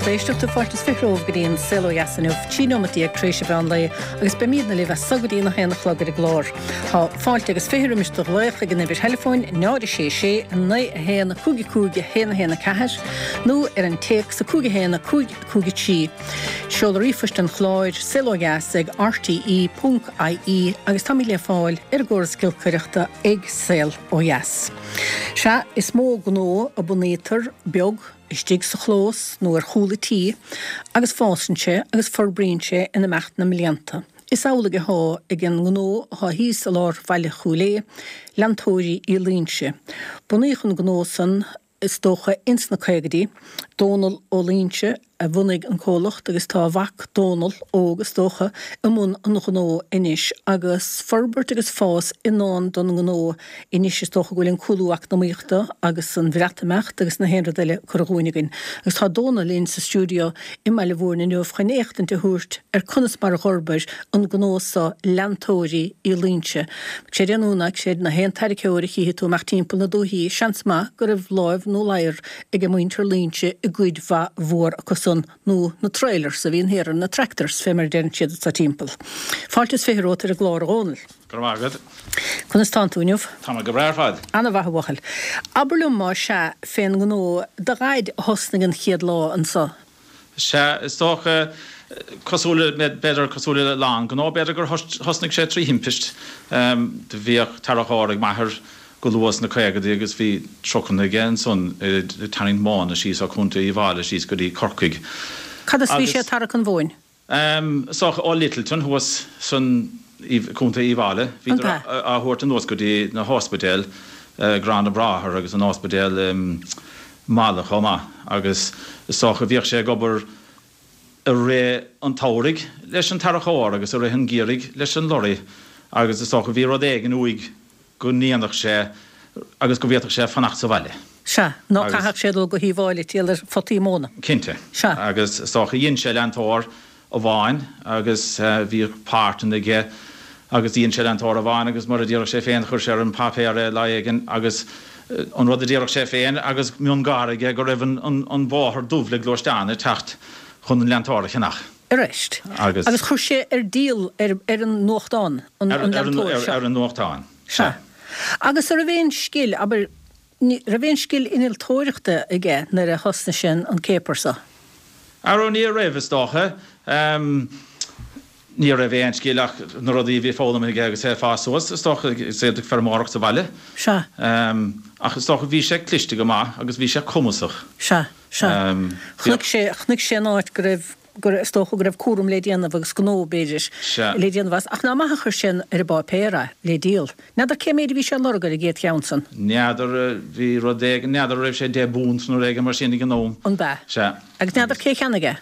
lucht éisteachta, fáilte is 20 romhaibh go dtí an Saol Ó Dheas inniu, 13 nóimeat tar éis an mheán lae, agus beimidne libh as so go dtí an 1 a chlog ar an gclár. Tá fáilte agus 20 roimis do ghlaoch ag an uimhir theileafóin 0 6 6 9 1 5 5 1 1 4 nó ar an téacs 5 1 5 5 3. Seoladh ríomhphoist an chláir, saolodheas ag rte ponc ie agus táimid le fáil ar an gcóras giolcaireachta ag Saol Ó Dheas. Sea, is mó gnó a bunaítear beag, istigh sa chlós nó ar chúl a tí, agus fásann sé agus forbraíonn sé in imeacht na mblianta. Is amhlaidh athá ag an ngnó athá thíos i lár bhaile Chúil Aodha, Leantóirí Uí Loingsigh. Bunaíodh an gnó san, is dócha, ins na caogaidí. Dónal Ó Loingsigh a bhunaigh an comhlacht agus tá a mhac Dónal óg, is dócha, i mbun an ghnó anois agus forbairt agus fás i ndán don ngnó anois is dócha go bhfuil an cúlú eacnamaíochta agus an Bhreatimeacht agus na haon rud eile curtha dhúinn againn. Agus tá Dónal linn sa stiúideo i mBaile Mhúirne inniu chun éachtaint a thabhairt ar conas mar a dh'fhorbair an gnó so Leantóirí Uí Loingsigh. Créid é nó ná creid, na haon tarraiceoir a chífidh tú amach timpeall na dúichí, seans maith go raibh láimh nó ladhar ag muintir Loingsigh i gcuid mhaith mhór acu san, nó na trailers a bhíonn thiar ar na tractors, fé mar a deireann siad anso timpeall. Fáilte is 20 romhat ar an gclár, a Dhónaill. Go raibh maith agat. Conas tánn tú inniu? Tá mé go breá ar fad. Ana-mhaith, a bhuachaill. Abair liom, más ea, fén ngnó, do dhaid a thosnaigh an chéad lá anso. Sea, is dócha, cosúil le, b'fhéidir cosúil le a lán gnó, b'fhéidir gur thosnaigh sé trí thimpist. Do bhíodh tarracóir ag m'athair go luath sna caogaidí agus bhí trucanna aige ansan ag tarraingt móna síos ó Chontae Uíbh Fhailí síos go dtí Corcaigh. Cad as a bhí sé ag tarrac an mhóin? Is dócha ó Littleton thuas san Contae Uíbh Fhailí. Bhíodar á thabhairt anuas go dtí na hóspidéil, Gráinne Bráthar agus an óspidéal i Mala chomh maith agus is dócha bhíodh sé ag obair i rith an tsamhraidh leis an tarracóir agus i rith an gheimhridh leis an lorry agus is dócha bhí rud éigin uaidh go ndéanfadh sé agus go bhféadfadh sé fanacht sa bhaile. Sea, ná caithfeadh sé dul go hUíbh Fhailí ag triall ar photaí móna. Cinnte. Sea. Agus is dócha dhein sé leantóir amháin agus bhíodh páirteanna aige agus dhein sé leantóir amháin agus mar a déarfadh sé féin chuir sé ar an bpáipéar é lá éigin agus an rud a déarfadh sé féin agus miongháire aige go raibh an bóthar dubh le gluaisteáin ag teacht chun an leantóir a cheannach. Arís. Agus. Agus chuir sé ar díol ar ar an nuachtán, an leantóir seo. Ar an nuachtán, sea. Sea. Agus an raibh aon scil, abair, ní raibh aon scil innealtóireachta aige nuair a thosnaigh sé an céapar seo? Arú, ní raibh, is dócha. Ní raibh aon scil ach na rudaí a bhí foghlamtha aige agus é ag fás suas, is dócha, is é ag feirmeoireacht sa bhaile. Sea. Ach is dócha, bhí sé cliste go maith agus bhí sé cumasach. Sea, sea. Chonaic sé, chonaic sé an áit go raibh, go raibh, is dócha go raibh cúram le déanamh agus gnó, b'fhéidir, le déanamh as. Ach ná maith a chuir sé ar an bpáipéar é, le díol. N'fheadar cé méid a bhí sé ag lorg ar an gcéad cheann san. N'fheadar, bhí rud éigin, n'fheadar an raibh sé £10 nó rud éigin mar sin ag an am. An b'ea? Sea. Agus n'fheadar cé a cheannaigh é?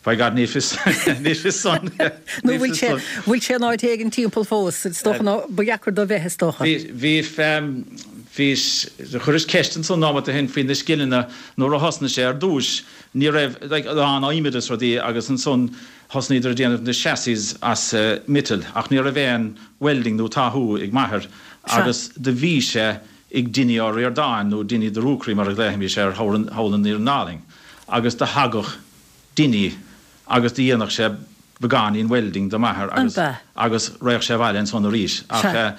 By God, ní fios, ní fios san. Nó bhfuil sé, bhfuil sé in áit éigin timpeall fós? Is dócha ná, ba dheacair dó bheith, is dócha. Bhí, bhí, bhí, chuiris ceist ansan nóimeat ó shin faoi na scileanna nuair a thosnaigh sé ar dtúis. Ní raibh, like, a lán adhmaid is rudaí agus ansan thosnaíodar ag déanamh na chassis as miotal ach ní raibh aon welding nó táthú ag m'athair agus do bhí sé ag Dinny Ó Ríordáin nó Dinny the Rookery mar a ghlaofaimís air thall in Iarna Álainn agus do thagadh Dinny agus do dhéanadh sé beagáinín welding do m'athair agus agus raghadh sé abhaile ansan arís ach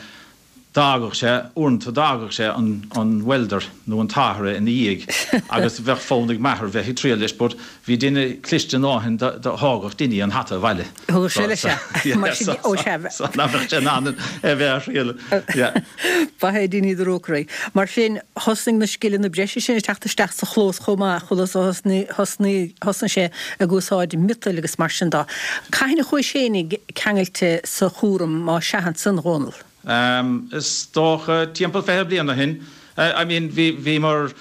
d'fhágadh sé, uaireanta d'fhágadh sé an welder nó an táthaire ina dhiaidh agus bheadh fonn ag m'athair bheith ag triall leis but bhí duine cliste a ndóthain do thógadh Dinny an hata abhaile. Thugadh sé leis é. Mar sin, ó sea. So nach mbeadh sé in ann é bheith á thriall. Yeah. Ba é Dinny the Rookery. Mar sin, thosnaigh na scileanna breise sin ag teacht isteach sa chlós chomh maith, chuala thosnaigh, thosnaigh, thosnaigh sé ag úsáid miotail agus mar sin dó. Cathain a chuais fhéinig ceangailte sa chúram má sea ansan, a Dhónaill? Is dócha timpeall 20 bliain ó shin. I mean bhí, bhíomar,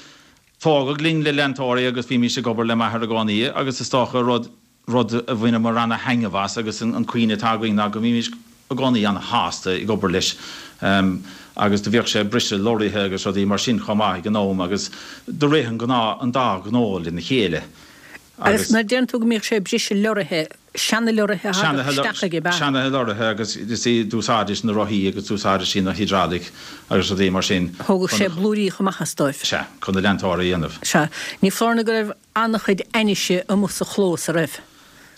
tógadh linn le leantóirí agus bhímís ag obair le m'athair i gcónaí agus is dócha rud, rud a bhaineamar ana-thaitneamh as agus an cuimhne atá againn ná go mbímís i gcónaí ana-shásta ag obair leis agus do bhíodh sé ag briseadh lorraithe agus rudaí mar sin chomh maith ag an am agus do rith an gnáth, an dá ghnó lena chéile. Agus nuair a deireann tú go mbíodh sé ag briseadh lorraithe, seana-lorraithe a thagadh isteach aige, ab ea? Seana-lorraithe agus you see d'úsáidis na rothaí agus d'úsáidis na hydraulic agus rudaí mar sin. Thógadh sé blúirí chomh maith as dóibh. Sea, chun na leantóirí a dhéanamh. Sea. Ní foláir nó go raibh an-chuid ainnise amuigh sa chlós, a raibh?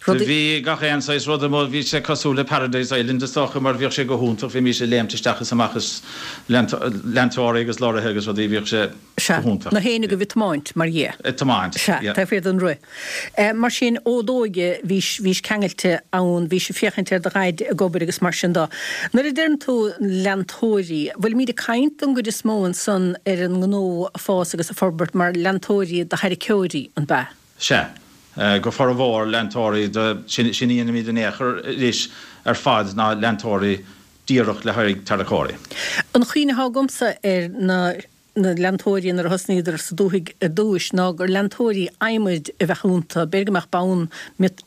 Rudaí. Bhí gach aon saghas rud amuigh, bhí sé cosúil le Paradise Island is dócha mar bhíodh sé go hiontach, bhímís ag léimt isteach is amach as leantóirí agus lorraithe agus rudaí, bhíodh sé Sea, go hiontach. Na héinne agaibh ag tiomáint, mar dhea. Ag tiomáint, Sea, yeah. taobh thiar den roth. Mar sin, ó d'óige, bhís, bhís ceangailte ann, bhís ag féachaint ar do dhaid ag obair agus mar sin de. Nuair a deireann tú leantóirí, bhfuilimíd ag caint don gcuid is mó ansan ar an ngnó ag fás agus ag forbairt mar leantóirí do tharraiceoirí, an b'ea? Sea. Go formhór, leantóirí do, sin, sin a dhéanaimid in aon chor anois ar fad ná leantóirí díreach le haghaidh tarracóirí. An chuimhne atá agamsa ar na na leantóirí nuair a thosnaíodar sa dúthaigh ar dtúis ná gur leantóirí adhmaid a bheadh iontu, b'fhéidir go mbeadh bonn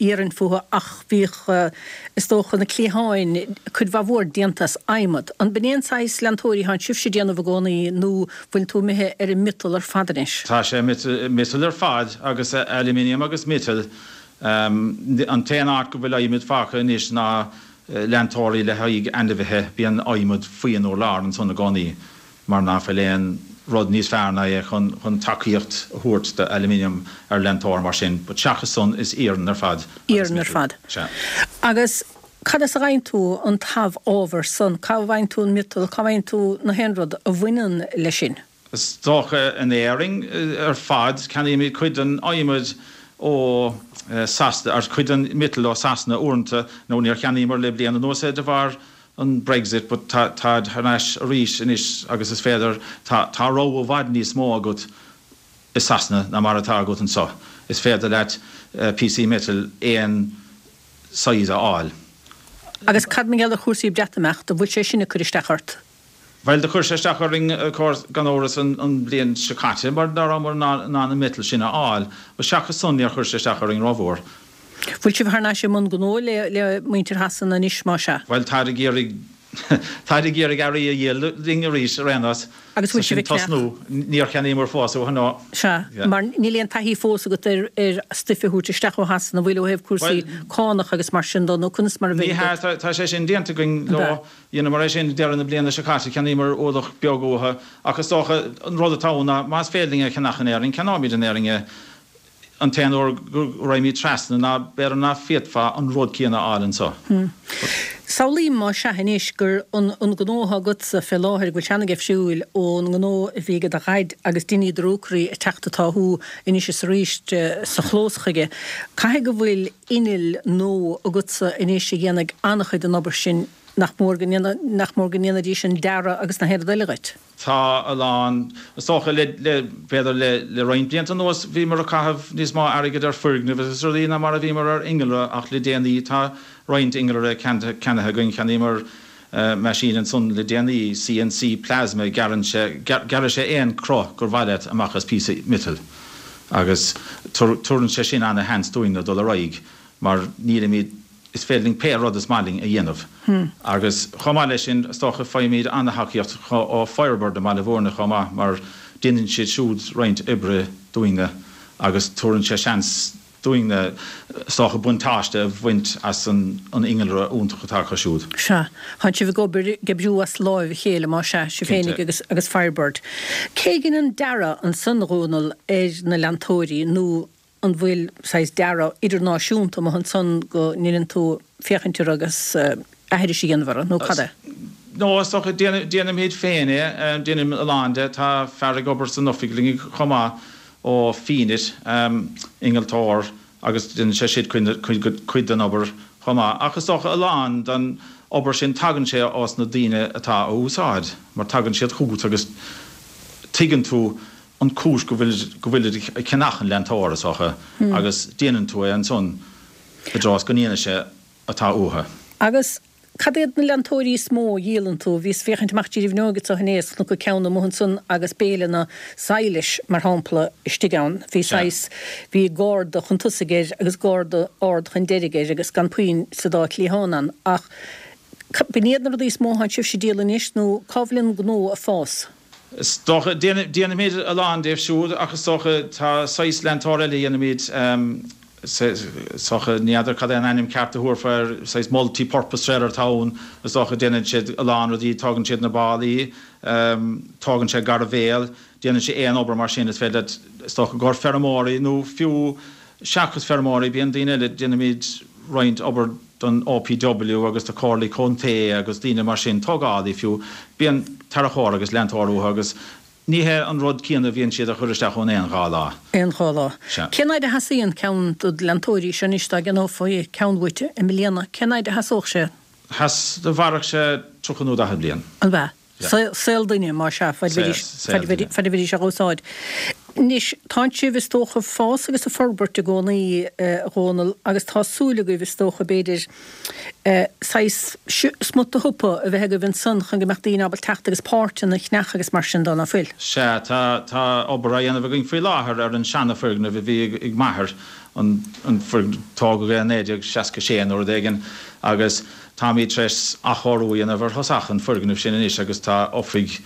iarainn fúthu ach bhíodh, is dócha, na cliatháin, cuid mhaith mhór déanta as adhmad. An b'in é an saghas leantóirí atánn sibhse ag déanamh i gcónaí nó bhfuil tú imithe ar an miotal ar fad anois? Tá sé miotal ar fad agus aluminium agus miotal. An t-aon áit go bhfuil adhmad fágtha anois ná leantóirí le haghaidh ainmhithe, bíonn adhmad faoi an urlár ansan i gcónaí mar ná fuil aon rud níos fearr ná é chun chun tacaíocht a thabhairt do aluminium ar leantóir mar sin, but seachas san is iarann ar fad agus Iarann ar miotal. fad. Sea. Agus cad as a bhfaigheann tú an t-amhábhar san? Cá bhfaigheann tú an miotal, cá bhfaigheann tú na haon rud a bhaineann leis sin? Is dócha in Éirinn ar fad. Ceannaímid cuid den adhmad ó Sasana, or cuid den miotal ó Sasana uaireanta, nó níor cheannaíomar le bliain anuas é de bharr an Brexit, but tá táid thar n-ais arís anois agus is féidir, tá tá rogha i bhfad níos mó agat i Sasana ná mar atá agat anseo. Is féidir leat píosaí miotail aon size a fháil. Agus cad mar gheall ar chúrsaí Breatimeachta, an bhfuil sé sin ag cur isteach ort? Bhuel, do chuir sé isteach orainn, gan amhras, an bhliain seo caite, mar ná rabhamar in ann an miotal sin a fháil. But seachas san, níor chuir sé isteach orainn rómhór. Bhfuil sibh thar n-ais i mbun gnó le muintir Shasana anois, más ea? Bhuel, táid ag iarraidh, táid ag iarraidh earraí a dhíol linn arís, ar aon nós. Agus bhfuil sibh ag ceannach? Tosnú, níor cheannaíomar fós uathu, no. Sea, mar níl aon taithí fós agat ar ar stuif a thabhairt isteach ó Shasana, an bhfuil, ó thaobh cúrsaí cánach agus mar sin de, nó conas mar a bheidh agat? Ní hea, tá sé sin déanta againn leo. Dheineamar é sin deireadh na bliana seo caite, cheannaíomar ualach beag uathu, ach is dócha an rud atá ann ná más féidir linn é a cheannach in Éirinn, ceannóimid in Éirinn é. An t-aon uair go raghaimid trasna ná b'fhéidir ná féadfá an rud céanna a fháil anseo. Samhlaím más ea anois gur an an gnó atá agatsa fé láthair, go bhfuil sé an-difriúil ón ngnó a bhí ag do dhaid agus Dinny de Búrcaí ag teacht atá thú anois is arís sa chlós chuige. Caithfidh go bhfuil inneall nua agatsa anois a dhéanfaidh an-chuid den obair sin Nach mór go nach mór go ndéanfaidís an dearadh agus na haon rud eile dhuit? Tá a lán. Is dócha le, le, b'fhéidir le, le roinnt blianta anuas bhíomar ag caitheamh níos mó airgid ar foirgnimh agus rudaí ná mar a bhíomar ar innealra ach le déanaí tá roinnt innealra ceannaithe againn. Cheannaíomar meaisín ansan le déanaí, CNC plasma, gearrann sé, gearrfaidh sé aon cruth gur mhaith leat amach as píosa miotail agus tabharann sé sin ana-sheans dúinn dul ar aghaidh mar nílimid, is féidir linn pé rud is maith linn a dhéanamh. Agus chomh maith leis sin, is dócha, faighimid an-thacaíocht ó Firebird i mBaile Bhúirne chomh maith mar déanann siad siúd roinnt oibre dúinne agus tabharann sé seans dúinne, is dócha, buntáiste a bhaint as an innealra iontach atá acu siúd. Sea. Tánn sibh ag obair, ag oibriú as láimh a chéile, más ea, sibh féinig agus agus Firebird. Cé a dhein an dearadh ansan, a Dhónaill, ar na leantóirí nó an bhfuil saghas dearadh idirnáisiúnta amuigh ansan go ndeineann tú féachaint orthu agus aithris a dhéanamh orthu, nó cad é? No, is dócha, déanaimid féin é, déanaim a lán de. Tá fear ag obair san oifig linn chomh maith ó Fenit, innealtóir, agus déanann sé siúd cuid den obair chomh maith. Ach is dócha a lán den obair sin tagann sé ós na daoine atá á úsáid, mar tagann siad chugat agus tuigeann tú an cúis go bhfuil go bhfuilid ag ceannach an leantóir, is dócha, agus déanann tú é ansan i dtreo is go ndéanfaidh sé atá uathu. Agus cad iad na leantóirí is mó a dhíolann tú? Bhíos ag féachaint amach dtí an bhfuinneoig anseo inné is chonac ceann amuigh ansan agus béile na sadhlais, mar shampla, istigh ann. Bhí saghas, bhí garda chun tosaigh air agus garda ard chun deiridh air agus gan puinn sa dá chliathán ann. Ach b'in iad na rudaí is mó atánn sibhse ag díol anois nó cá bhfuil an gnó ag fás? Is dócha, déanaimid a lán díobh siúd ach is dócha tá saghas leantóir eile a dhéanaimid. Is dócha, ní fheadar cad é an ainm ceart a thabharfá air, saghas multi-purpose trailer atá ann, is dócha, déanann siad a lán rudaí, tógann siad na ballaí, tógann sé gairbhéal, déanann sé aon obair mar sin, is féidir leat, is dócha, i gcomhair feirmeoirí nó fiú seachas feirmeoirí, bíonn daoine eile, déanaimid roinnt obair don OPW agus do comhairlí contae agus daoine mar sin, tógálaí fiú, bíonn tarracóir agus leantóir uathu agus Ní hé an rud céanna a bhíonn siad a chur isteach ann aon dhá lá. Aon dhá lá. Sea. Cén fhaid a sheasaíonn ceann de na leantóirí seo anois dá gceannófaí ceann uait i mbliana? Cén fhaid a sheasódh sé? Sheas, mhairfeadh sé 30 nó 40 bliain. An ea? Yeah. Saol duine, más ea, faid a bheidís, Saol duine. faid a bheidís á úsáid. Anois, tánn sibh, is dócha, ag fás agus ag forbairt i gcónaí, a Dhónaill, agus tá súil agaibh, is dócha, b'fhéidir, saghas smut de shiopa a bheith agaibh ansan chun go mbeadh daoine ábalta teacht agus páirteanna a cheannach agus mar sin dó, ná fuil? Sea, tá, tá obair á dhéanamh againn faoi láthair ar an seana-fhoirgneamh a bhí ag m'athair, an, an foirgneamh, tógadh é i 1966 nó rud éigin, agus táimid tar éis athchóiriú a dhéanamh ar thosach an foirgnimh sin anois agus tá oifig,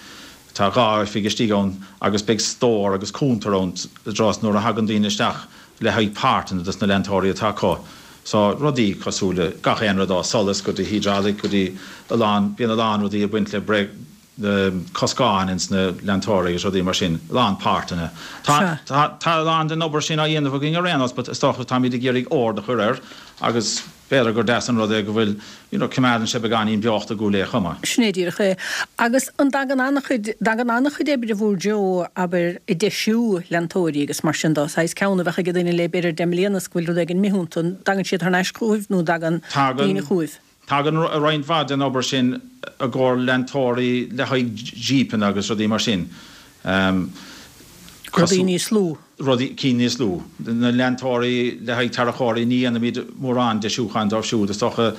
tá dhá oifig istigh ann agus beidh stór agus cuntar ann i dtreo is nuair a thagann daoine isteach le haghaidh páirteanna dos na leantóirí atá acu. So, rudaí cosúil le gach aon rud ó solas go dtí hydraulic go dtí a lán, bíonn a lán rudaí ag baint le break, le coscáin ins na leantóirí agus rudaí mar sin, a lán páirteanna. Tá, tá, tá a lán den obair sin á dhéanamh againn ar aon nós but is dócha táimid ag iarraidh ord a chur air agus B'fhéidir gur deas an rud é go bhfuil, you know, coimeádann sé beagáinín beochta i gCúil Aodha chomh maith. Sin é díreach é. Agus an dtagann an-chuid, dtagann an-chuid oibre bhur dtreo, abair, ag deisiú leantóirí agus mar sin dó, saghas ceann a bheadh ag duine le b'fhéidir deich mbliana is go bhfuil rud éigin imithe iontu, an dtagann siad thar n-ais chugaibh nó an dtagann daoine chugaibh? Tagann roinnt mhaith den obair sin i gcomhair leantóirí le haghaidh jípeanna agus rudaí mar sin. Rudaí níos lú. Rudaí, cinn níos lú. Na leantóirí le haghaidh tarracóirí, ní dhéanaimid mórán deisiúcháin dóibh siúd. Is dócha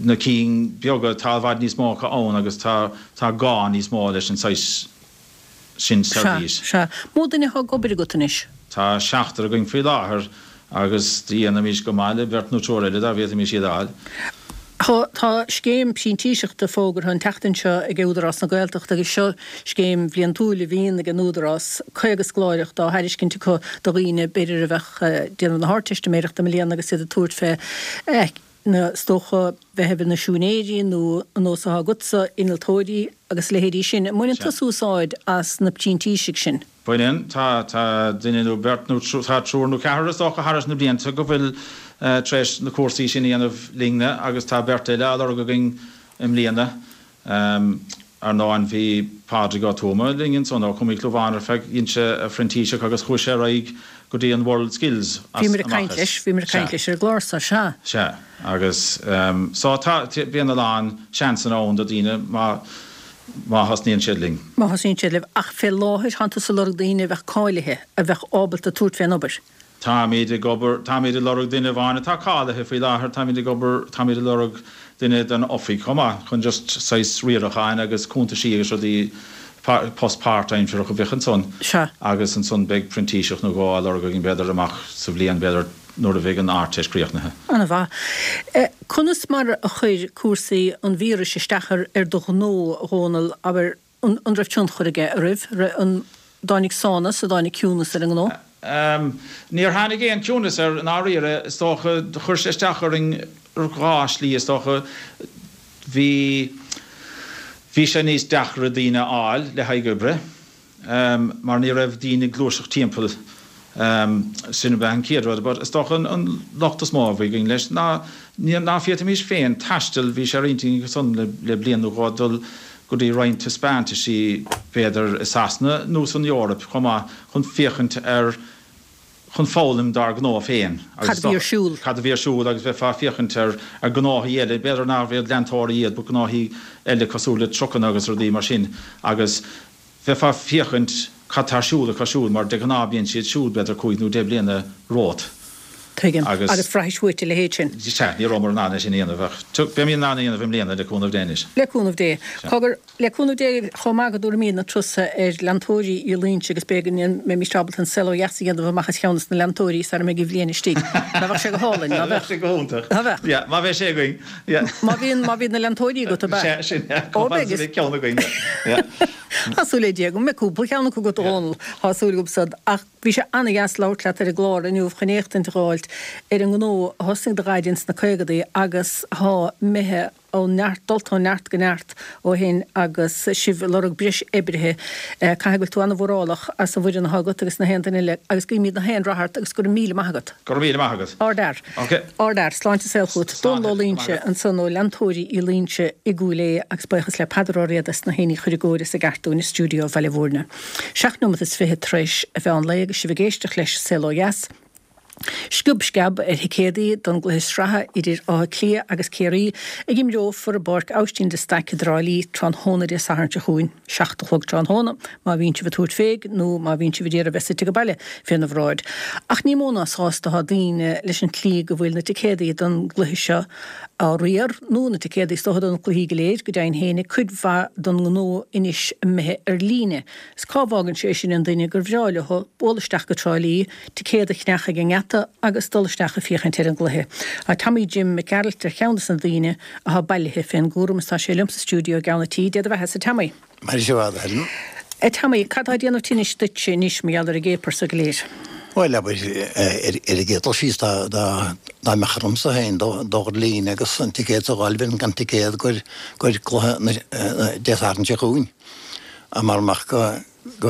na cinn beaga, tá i bhfad níos mó acu ann agus tá, tá gá níos mó leis an saghas sin seirbhís. Sea, sea. Mó duine atá ag obair agat anois? Tá seachtar againn faoi láthair agus dhéanfaimis go maith le beirt nó triúr eile dá bhféadfaimis iad a fháil. Tá scéim printíseachta fógartha an tseachtain seo ag Údarás na Gaeltachta agus seo scéim bhliantúil a bhíonn ag an Údarás, 50 scoláireacht á thairiscint acu do dhaoine b'fhéidir a bheadh ag déanamh na hArdteistiméireachta i mbliana agus iad ag tabhairt fé na, is dócha, bheith ina siúinéirí nó an nós atá agatsa, innealtóirí agus a leithéidí sin. An mbaineann tusa úsáid as na printísigh sin? Baineann. Tá, tá duine nó beirt nó tá triúr nó ceathrar is dócha thar na blianta go bhfuil tar éis na cúrsaí sin a dhéanamh linne agus tá beirt eile á lorg againn i mbliana. Ar ndóin bhí Pádraig Ó Tuama linn ansan ó Chumann Clúmháin ar feadh, dhein sé a phrintíseach agus chuaigh sé ar aghaidh go dtí an World Skills as Bhíomar ag caint leis, bhíomar ag caint leis ar an gclár so, sea. Sea. Agus so tá, bíonn a lán seansanna ann do dhaoine má, má thosnaíonn siad linn. Má thosaíonn siad libh. Ach fé láthair tánn tusa ag lorg daoine a bheadh cáilithe, a bheadh ábalta tabhairt fén obair. Táimid ag obair, táimid ag lorg duine amháin atá cáilithe faoi láthair, táimid ag obair, táimid ag lorg duine don oifig chomh maith chun just saghas riaracháin agus cuntaisí agus rudaí, post páirtaimsearach a bheadh ansan. Sea. Agus ansan beidh printíseach nó dhó á lorg againn b'fhéidir amach sa bhliain b'fhéidir. nuair a bheidh an Ardteist críochnaithe. Ana mhaith. Conas mar a chuir cúrsaí an víris isteach ar do ghnó, a Dhónaill, abair, an raibh tionchar aige oraibh? An dtáinig sánas, an dtáinig ciúnas ar an ngnó? Níor tháinig aon chiúnas air, i ndáiríre. Is dócha, chuir sé isteach orainn ar dhá shlí, is dócha. Bhí, bhí sé níos deacra daoine a fháil le haghaidh oibre. mar ní raibh daoine ag gluaiseacht timpeall. Sin ab ea an chéad rud. But is dócha an locht is mó a bhí againn leis ná ná féadfaimis féin taisteal, bhí sé ar intinn ansan le bliain nó dhó dul go dtí roinnt taispeántaisí b'fhéidir i Sasana nó san Eoraip chomh maith chun féachaint ar chun foghlaim dár ngnó féin agus Cad a bhí ar siúl. Cad a bhí ar siúl agus bheifeá ag féachaint ar ar gnóthaí eile, b'fhéidir nárbh iad leantóirí iad but gnóthaí eile cosúil le trucanna agus rudaí mar sin agus bheifeá ag féachaint cad tá ar siúl acu siúd mar de ghnáth bíonn siad siúd b'fhéidir cúig nó deich bliana romhat. Tuigim. Agus. Agus bhraithis uait a leithéid sin. Sea, ní rabhamar in ann é sin a dhéanamh ach beimid in ann a dhéanamh i mbliana le cúnamh Dé anois. Le cúnamh Dé. Sea. Cogar, le cúnamh Dé chomh maith go dtabharfaimid na turais ar leantóirí Uí Loingsigh agus b'fhéidir go mbeimís ábalta an saol ó dheas a dhéanamh amach as cheann de na leantóirí sara mbeidh an bhliain istigh. Ná bheadh sé go hálainn, ná bheadh? Bheadh sé go hiontach. Ná bheadh? Yeah, má bheidh sé againn. Yeah. Má bhíonn, má bhíonn na leantóirí agat, ab ea? Sea, sin, yeah. Ó, beidh. Chomh fada is a bheidh ceann againn, yeah. Tá súil le Dia go mbeidh cúpla ceann acu agat a Dhónaill, tá súil agam san. Ach bhí sé ana-dheas labhairt leat ar an gclár inniu chun éachtaint a dh'fháilt ar an ngnó a thosnaigh do dhaid ins na caogadaí agus thá imithe ó neart, dulta ó neart go neart ó shin agus sibh ag lorg breis oibrithe. Caithfidh go bhfuil tú ana-mhórálach as an bhfoireann athá agat agus na haon duine eile agus guímid na haon rath ort agus go raibh míle maith agat. Go raibh míle maith agat. Ardfhear. Ok. Ardfhear. Sláinte is saol chugat. Sláinte. Dónal Ó Loingsigh ansan ó Leantóirí Uí Loingsigh i gCúil Aodha agus buíochas le Peadar Ó Riada as na héinní a chur i gcóir is i gceart dúinn i stiúideo Bhaile Mhúirne. Seacht nóimeat is fichead tar éis a mheán lae agus sibh ag éisteacht leis Saol Ó Dheas. Sciob sceab ar thicéadaí don gcluiche sraithe idir Áth Cliath agus Ciarraí a imreofar i bPáirc Aibhistín de Staic i dTrá Lí tráthnóna Dé Sathairn seo chugainn, 7 a chlog tráthnóna, má bhíonn sibh ag tabhairt féig nó má bhíonn sibh ag iarraidh bheith suite ag baile féna bhráid. Ach ní mó ná sásta atá daoine leis an tslí go bhfuil na ticéadaí don gcluiche seo á riar, nó na ticéadaí is dócha do na cluichí go léir, go deimhin féin, cuid mhaith don ngnó anois imithe ar líne. Is cá bhfágann sé sin an duine gur bhreá leo bualadh isteach go Trá Lí, ticéad a cheannach ag an ngeata agus dul isteach ag féachaint ar an gcluiche. Tá Tommy Jim Mac Gearailt ar cheann des na daoine athá bailithe fén gcúram is tá sé liom sa stiúideo i gceann an tí. Dé do bheatha-sa, Tommy. Maire sibh a Helen. A Tommy, cad tá ag déanamh tinnis duitse anois mar gheall ar an gcéapar so go léir? Bhuel, abair, ar an gcéad dul síos, dá mbeadh ormsa féin dul ar líne agus an ticéad a fháil, bheinn gan ticéad do chluiche Dé Sathairn seo chugainn. Mara mbeadh go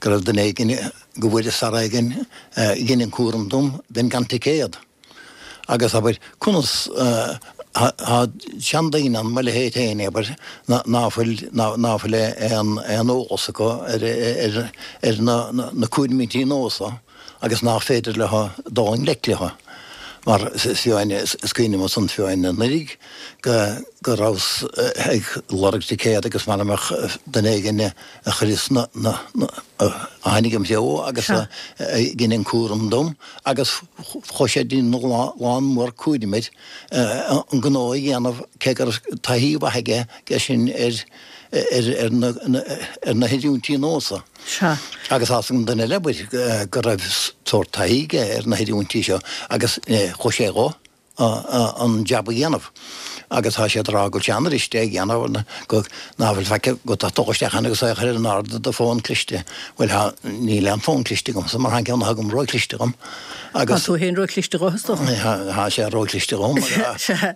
raibh duine éigin, go bhfuaireas fear éigin a dhein an cúram dom, bheinn gan ticéad. Agus, abair, conas, tá seandaoine ann, mo leithéid féin, abair, ná fuil, ná fuil aon eolas acu ar na cúraimí nua so. agus nach féidir leo dul i ngleic leo, mar is cuimhin liom ansan fiú anuraidh go go rabhas ag lorg ticéad agus mara mbeadh duine éigin a chuireas na na a tháinig im threo agus a dhein an cúram dom agus chuaigh sé ag déanamh lán mór cúraim air an gnó a dhéanamh cé go raibh taithí mhaith aige sin ar ar na ar na hoiriúintí nua so. Sea. Agus tá a fhios ag an duine eile, abair, go raibh sórt taithí aige ar na hoiriúintí seo agus chuaigh sé dho an jab a dhéanamh. Agus tá siad ag rá go bhfuil sé an-fhuirist é a dhéanamh, go, ná fuil faic agat ach dul isteach ann agus é a chur in airde do fón cliste. Bhuel, tá, níl aon fón cliste agamsa mar tá an ceann atá agam ró-chliste dhom. Agus. Tá tú féin ró-chliste dho, is dócha. Tá sé ró-chliste dhom. Sea.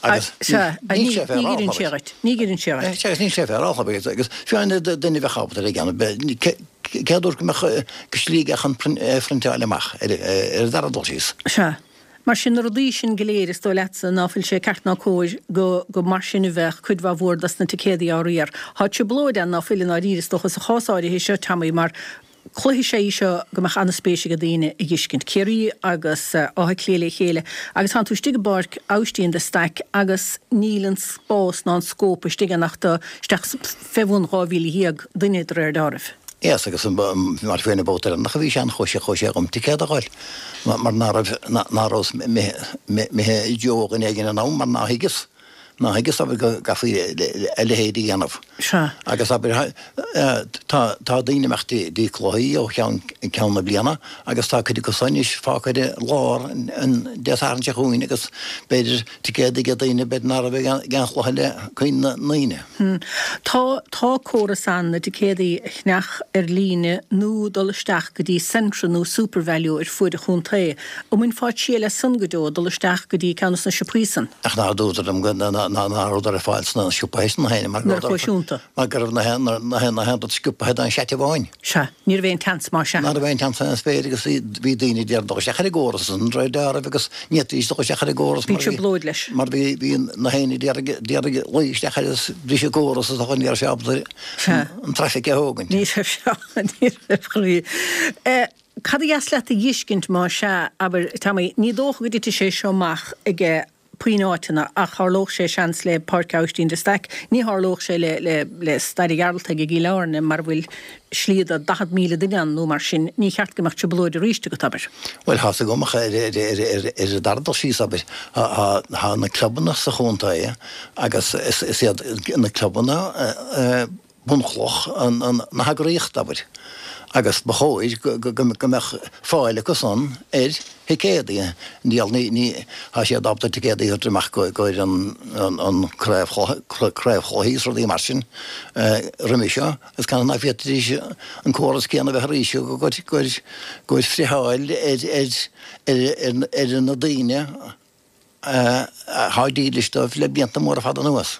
Agus Sea, níl sé ní oireann sé dhuit. Ní oireann sé dhuit. Sea, agus níl sé féaráilte agus agus fiú amháin duine a bheadh ábalta ar a dhéanamh, cé a dúirt go mbeadh slí aige chun é a phriontáil amach ar an dara dul síos? Sea. Mar sin, na rudaí sin go léir, is dóigh leatsa ná fuil sé ceart ná cóir go go mar sin a bheadh cuid mhaith mhór dos na ticéadaí á riar. Tá trioblóid ann ná fuil i ndáiríre, is dócha, sa chás áirithe seo, Tommy, mar Cluiche is ea í seo go mbeadh an-spéis ag daoine a dh'fheiscint. Ciarraí agus Áth Cliath le chéile agus tánn tú istigh i bPáirc Aibhistín de Staic agus níl an spás ná an scóip istigh ann ach do isteach fé bhun 12,000 duine de réir deáraimh. Yes agus mar faoin babhta deireanach a bhí sé ann chuaigh sé chuaigh sé dhom ticéad a dh'fháil mar ná raibh ná rabhas imithe i dtreo dhuine éigin in am mar ná thuigeas. Ná thuigeas, abair, go gcaithfí a leithéid a dhéanamh. Sea. Agus, abair, tá, tá daoine ag imeacht dtí cluichí ó cheann ceann na bliana agus tá cuid acu san anois fágtha ar lár an Dé Sathairn seo chugainn agus b'fhéidir ticéad ag daoine b'fhéidir ná raibh ag aon chluiche le cuimhne na ndaoine. Tá, tá córas ann na ticéadaí a cheannach ar líne nó dul isteach go dtí Centra nó Supervalu ar fuaid an chontae. An mbainfeá triail as san go deo, dul isteach go dtí ceann de na siopaí san? Ach nár dúradar liom go ná rabhadar ar fáil sna siopaithe sin féin mar go rabhadar mar go raibh na haon rud sciobtha d'aon seait amháin. Sea, ní raibh aon tseans mar sea. Ná raibh aon tseans aon spéir agus bhí daoine ag iarraidh dul isteach ar an gcóras ansan de réir dealraimh agus ní fhéadfaidís dul isteach ar an gcóras mar bhí trioblóid leis. Mar bhí bhí na héinne ag iarraidh d'iarraidh luí isteach air agus bhris an córas is ní raibh sé ábalta an traffic a thógaint. Ní raibh sé ní raibh chroí. Cad a dheas leat a dh'fheiscint má sea, abair, Tommy, ní dócha go dtitfidh sé seo amach aige puinn áiteanna ach tharlódh sé seans le Páirc Aibhistín de Staic, ní tharlódh sé le, le, le Staid an Ghearaltaigh i gCill Airne mar a bhfuil slí do 40,000 duine ann nó mar sin, ní cheart go mbeadh trioblóid arís agat, abair. Bhuel, tá's agam ach ar, ar, ar, ar, ar an dara dul síos, abair, tá, tá, tá na clubanna sa chontae agus is, is iad na clubanna, bunchloch na heagraíochta, abair. Agus ba chóir go mbeadh fáil acu san ar thicéadaí. Níl, ní, tá siad ábalta ticéadaí a thabhairt amach i gcomhair an craobhchluichí is rudaí mar sin roimhe seo agus canathaobh ná féadfaidís an córas céanna a bheith arís i gcomhair friotháil ar na daoine atá dílis dóibh le blianta móra fada anuas.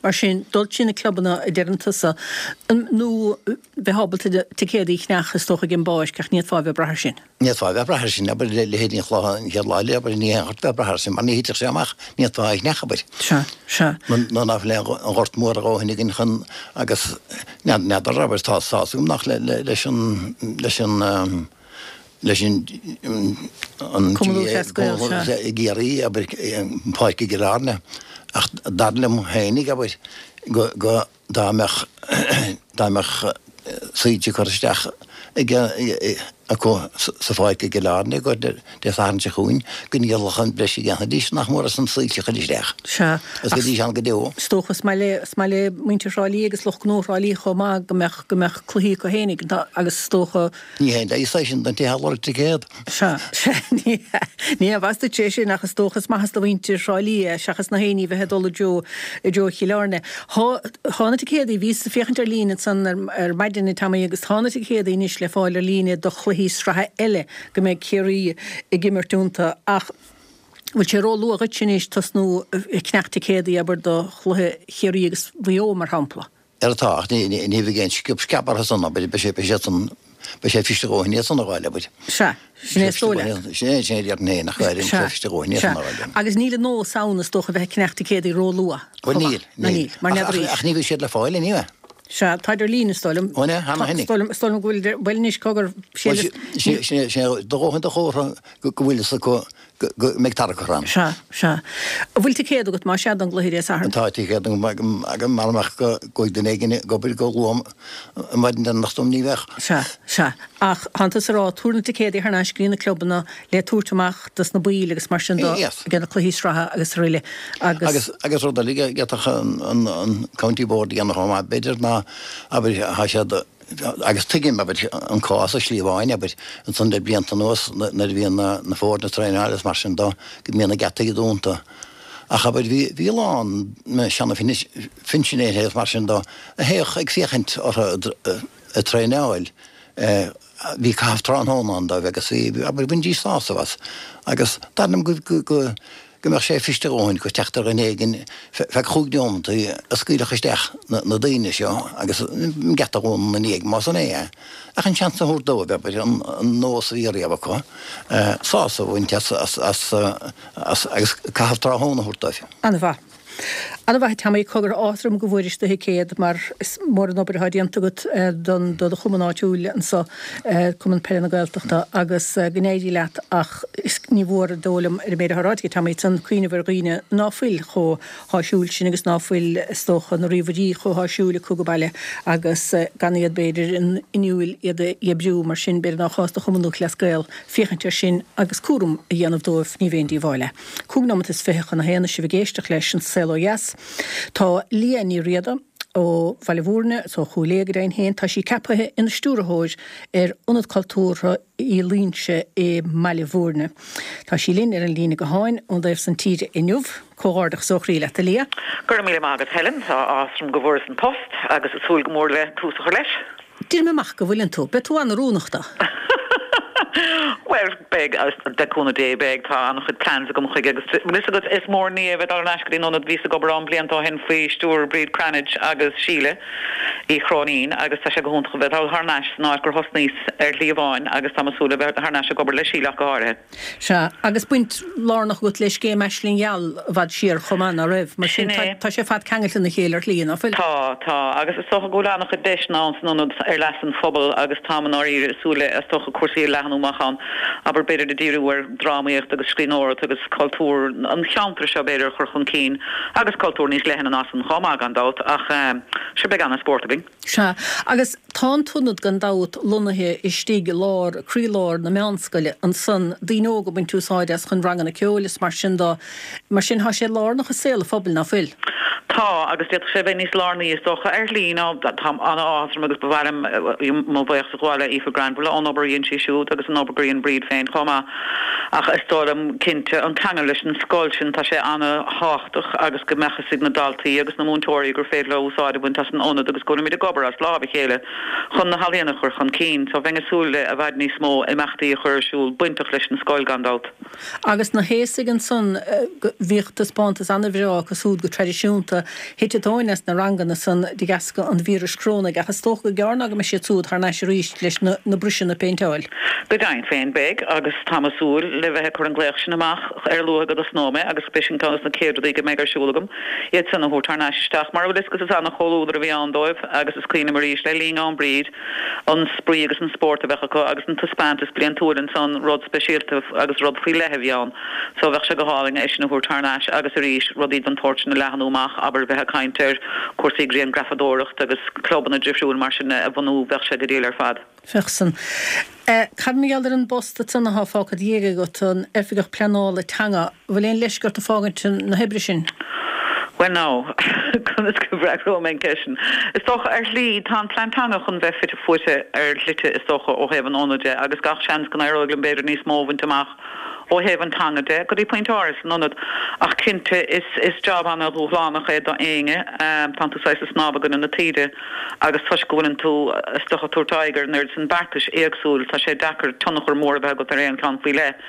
Mar sin, dul trí na clubanna a deireann tusa, nó bheith ábalta ticéadaí a cheannach is dócha ag an bpáirc ach ní fhéadfá a bheith ag brath air sin. Ní fhéadfá a bheith ag brath air sin, abair, leithéidí an chluiche an chéad lá eile, abair, ní haon chort a bheith ag brath air sin mar ní thitfeadh sé amach, ní fhéadfá é a cheannach, abair. Sea, sea. Nó ná fuil aon ghort mór a dhóthain againn chun agus n'fheadar, abair, tá tá's agam nach leis an, leis an, leis an Cumann Lúthchleas Gael, sea. i gCiarraí, abair, an pháirc i gCill Airne, ach dar liom féinig, abair, go, go, dá mbeadh, dá mbeadh soilse curtha isteach ag, acu sa pháirc i gCill Airne go Dé Sathairn seo chugainn, go ndíolfadh an breis a dhéanfaidís, nach mór as an soilse a chur isteach. Sea. Agus bheidís ann go deo. Is dócha, is maith le, is maith le muintir Thrá Lí agus lucht gnó Thrá Lí chomh maith go mbeadh, go mbeadh cluichí acu féinig agus is dócha, Ní haon leigheas é sin don té atá ag lorg ticéad. Sea, sea, ní hea, ní aon mhaitheas duit é sin ach is dócha is maitheas do mhuintir Thrá Lí é seachas na héinní bheith ag dul i dtreo, i dtreo Chill Airne. Thá, thá na ticéadaí, bhíos ag féachaint ar líne ansan ar, ar maidin a Tommy agus thá na ticéadaí anois le fáil ar líne do chluichí sraithe eile go mbeidh Ciarraí ag imirt iontu ach bhfuil sé ró-luath dhuitse anois tosnú ag ceannach ticéadaí abair do chluiche Chiarraí agus Mhaigh Eo mar shampla? Ara tá, ach ní bheidh aon sciob sceab orthu san, abair, beidh sé, beidh siad san, beidh sé fuiste a dhóthain iad san a fháil, abair. Sea, sin é is dóigh leat. Sin é, sin é a déarfainn féin, ach go háirithe, beidh sé fuiste a dhóthain iad san a fháil. Agus níl an nós ann, is dócha, a bheith ag ceannach ticéadaí ró-luath. Bhuel, níl, níl. Níl, mar n'fheadar aois. Ach ní bheidh siad le fáil anyway. Sea, táid ar líne, is dóigh liom. Ó, ne, cheana féin. Is dóigh liom, is dóigh liom go bhfuil, bhuel anois, cogar, sé, sin é, sin é, do dhóthain de chomhartha go bhfuil fhios acu go mbeidh tarrac orthu ann. Sea, sea. An bhfuil ticéad agat, más ea, don gcluiche Dé Sathairn? Tá ticéad agam, mara mbeadh go gcuaigh duine éigin ag obair go luath an mhaidin deireanach dom, ní bheadh. Sea, sea. Ach tánn tusa ag rá, tabhair na ticéadaí thar n-ais go dtí na clubanna le tabhairt amach dos na baill agus mar sin do, ag na cluichí sraithe agus araile. Agus. Agus, agus rud eile a d'fhéadfadh an, an County Board a dhéanamh chomh maith, b'fhéidir, ná, abair, thá siad, Agus tuigim, abair, an cás i slí amháin, abair, ansan le blianta anuas nuair a bhíonn na foirne ag traenáil agus mar sin dó, go mbíonn na geataí dúnta. Ach, abair, bhí, bhí a lán seana-phinsinéirí agus mar sin dó a théadh ag féachaint orthu ag traenáil. Bhí caitheamh tráthnóna ann dóibh agus bhí, abair, bhainidís sásamh as. Agus dar liom go, go, go mbeadh sé fuiste a dhóthain go teacht ar dhuine éigin feadh chúig neomataí a scaoilfeadh isteach na daoine seo agus an geata a dhúnadh ina ndiaidh, más in é, ach an seans a thabhairt dóibh, abair, an nós a bhí riamh acu, sásamh a bhaint as agus caitheamh tráthnóna a thabhairt dóibh. An-mhaith. An-mhaith a Tommy, cogar áthas orm go bhfuairis do thicéad mar is mór an obair atá déanta agat don do chumann áitiúil anso, Cumann Peile na Gaeltachta agus go n-éirí leat ach is ní mhór is dóigh liom ar an méid atá ráite ag Tommy ansan cuimhneamh ar dhaoine ná fuil chomh háisiúil sin agus ná fuil is dócha na ríomhairí chomh háisiúil acu go baile agus gan iad b'fhéidir inniúil iad a oibriú mar sin b'fhéidir nár chás do Chumann Lúthchleas Gael féachaint air sin agus cúram a dhéanamh dóibh ní bh'aon díobháil é. 5 nóimeat is 20 chun a haon is sibh ag éisteacht leis An Saol Ó Dheas. Tá Liadh Ní Riada ó Bhaile Mhúirne, is ó Chúil Aodha go deimhin féin, tá sí ceaptha ina stiúrthóir ar Ionad Cultúrtha Uí Loingsigh i mBaile Mhúirne. Tá sí linn ar an líne gutháin ón dtaobh san tíre inniu. Comhghairdeachas ó chroí leat, a Liadh. Go raibh míle maith agat, Helen. Tá áthas orm go bhfuaireas an post agus ag súil go mór le tús a chur leis. Déarfainn amach go bhfuileann tú. Beidh tú an-oiriúnach dó. Bhuel, beidh, le cúnamh Dé, beidh. Tá an-chuid plans agam chuige agus bhfuil fhios agat, is mór an ní é a bheith dul thar n-ais go dtí an ionad. Bhíos ag obair ann blianta ó shin faoi stiúir Bríd Cranitch agus Síle Uí Chróinín agus tá sé go hiontach a bheith dul thar n-ais san áit gur thosnaíos ar shlí amháin agus táim ag súil le bheith thar n-ais ag obair le Síle ach go háirithe. Sea, agus baint lárnach agat le scéim Aisling Gheal i bhfad siar chomh maith, ná raibh? Mar sin, tá sé ar fad ceangailte ina chéile ar shlí, ná fuil? Tá, tá. Agus is dócha go bhfuil an-chuid deiseanna ann san ionad ar leas an phobail agus táim i ndáiríre ag súil le, is dócha, cúrsaí a leathnú amach ann, abair, b'fhéidir ag díriú ar dhrámaíocht agus scríbhneoireacht agus cultúr an cheantair seo, b'fhéidir, a chur chun cinn agus cultúr níos leithne ná san chomh maith, gan dabht, ach sure, beidh an-spórt againn. againn. Sea, agus tá an t-ionad gan dabht lonnaithe istigh i lár, croílár na meánscoile ansan, daoine óga ag baint úsáid as chun ranganna ceoil is mar sin dó. Mar sin tá sé lárnach i saol an phobail, ná fuil? Tá, agus d'fhéadfadh sé a bheith níos lárnaí is dócha ar shlí ná tá an-áthas orm agus ba mhaith liom mo bhuíochas a ghabháil le Aoife Granville ón obair a dhein sí siúd agus an obair gur dhein Bríd féin chomh maith ach is dóigh liom cinnte an ceangal leis an scoil sin tá sé an-thábhachtach agus go mbeadh fhios ag na daltaí agus na múinteoirí gur féidir leo úsáid a bhaint as an ionad agus go bhfuilimid ag obair as lámh a chéile chun na healaíona a chur chun cinn. So bheinn ag súil le i bhfad níos mó imeachtaí a chur ar siúl bainteach leis an scoil gan dabht. Agus na haosaigh ansan, bhíodh taispeántas ana-bhreá acu súd go traidisiúnta. Thit an tóin as na ranganna san de dheasca an víris chorónaigh, ach is dócha gur gearr ná go mbeidh siad súd thar n-ais arís leis na bruiseanna a phéinteáil. Go deimhin féin beidh, agus táim ag súil le bheith ag cur an glaoch sin amach ar a luaithe go dtosnóidh mé, agus beidh sin ceann de na chéad rudaí go mbeidh ar siúl agam, iad san a thabhairt thar n-ais isteach. Mar a bhfuil fhios agat is ana-chomhluadar a bhí ann dóibh, agus is cuimhin liom arís le linn am Bríd, an spraoi agus an spórt a bheadh acu agus an taispeántas bliantúil ansan, rud speisialta agus rud faoi leith a bhí ann. So bheadh sé go hálainn é sin a thabhairt thar n-ais agus arís rudaí den tsórt sin a leathnú amach, abair bheith ag caint ar chúrsaí grianghrafadóireacht agus clubanna difriúil mar sin a bhunú, bheadh sé go diail ar fad. Bheadh san. Cad mar gheall ar an bpost ansan atá fágtha i do dhiaidh agat, an Oifigeach Pleanála Teanga, bhfuil aon leisce ort ag fágaint na hoibre sin? Bhuel now, conas go bhfreagróidh mé an ceist sin? Is dócha, ar shlí, tá an plean teanga chun bheith fite fuaite ar shlite, is dócha, ó thaobh an ionaid de, agus gach seans go n-éireoidh liom b'fhéidir níos mó a bhaint amach ó thaobh an teanga de, go dtí pointe áirithe san ionad. Ach cinnte, is, is job ana-dhúshlánach é do éinne. Tánn tú saghas ag snámh i gcoinne na taoide agus toisc go bhfuileann tú, is dócha, ag tabhairt aghaidh ar an oiread sin beartais éagsúil, tá sé deacair tionchar mór a bheith agat ar aon cheann faoi leith.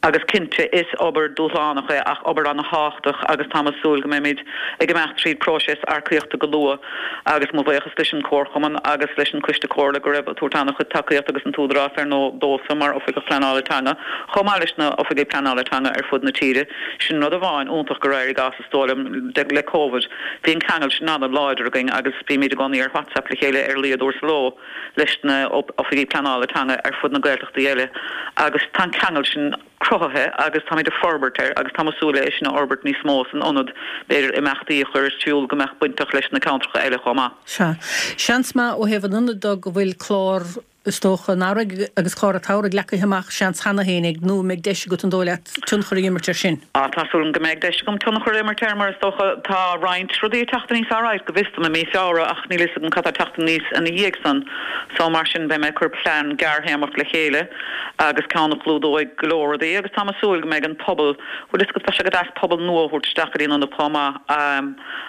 Agus cinnte, is obair dúshlánach é ach obair ana-thábhachtach agus táim ag súil go mbeimid ag imeacht tríd próiseas earcaíochta go luath agus mo bhuíochas leis an Comharchumann agus leis an Coiste Comhairle go raibh ag tabhairt ana-chuid tacaíocht agus an tÚdarás ar ndóigh domhsa mar Oifigeach Pleanála Teanga chomh maith leis na Oifigigh Pleanála Teanga ar fud na tíre. Sin rud amháin iontach gur éirigh as is dóigh liom le Covid. Bhí an ceangal sin ana-láidir againn agus bímid i gcónaí ar WhatsApp le chéile ar a laghad uair sa ló. leis na Oifigigh Pleanála Teanga ar fud na Gaeltachtaí eile agus tá an ceangal sin cruthaithe agus táimid ag forbairt air agus táim ag súil le é sin a fhorbairt níos mó san ionad, b'fhéidir imeachtaí a chur ar siúl go mbeadh bainteach leis na ceantracha eile chomh maith. Sea. Seans maith ó thaobh an ionaid de go bhfuil clár, is dócha, an earraigh agus clár an tsamhraidh leagtha amach, seans, cheana féin ag, nó an mbeidh deis agat an dóigh leat tionchar a imirt air sin? Á, tá súil agam go mbeidh deis agam tionchar a imirt air mar is dócha tá roinnt rudaí ag teacht aníos alright go bhfios dom i mí Feabhra ach níl fhios agam cad tá ag teacht aníos ina dhiaidh san so mar sin beidh mé ag cur plean gearrthéarmach le chéile agus ceann a chlúdóidh go leor rudaí agus táim ag súil go mbeidh an pobal, bhfuil fhios agat bheadh sé go deas pobal nua a thabhairt isteach go dtí an ionad chomh maith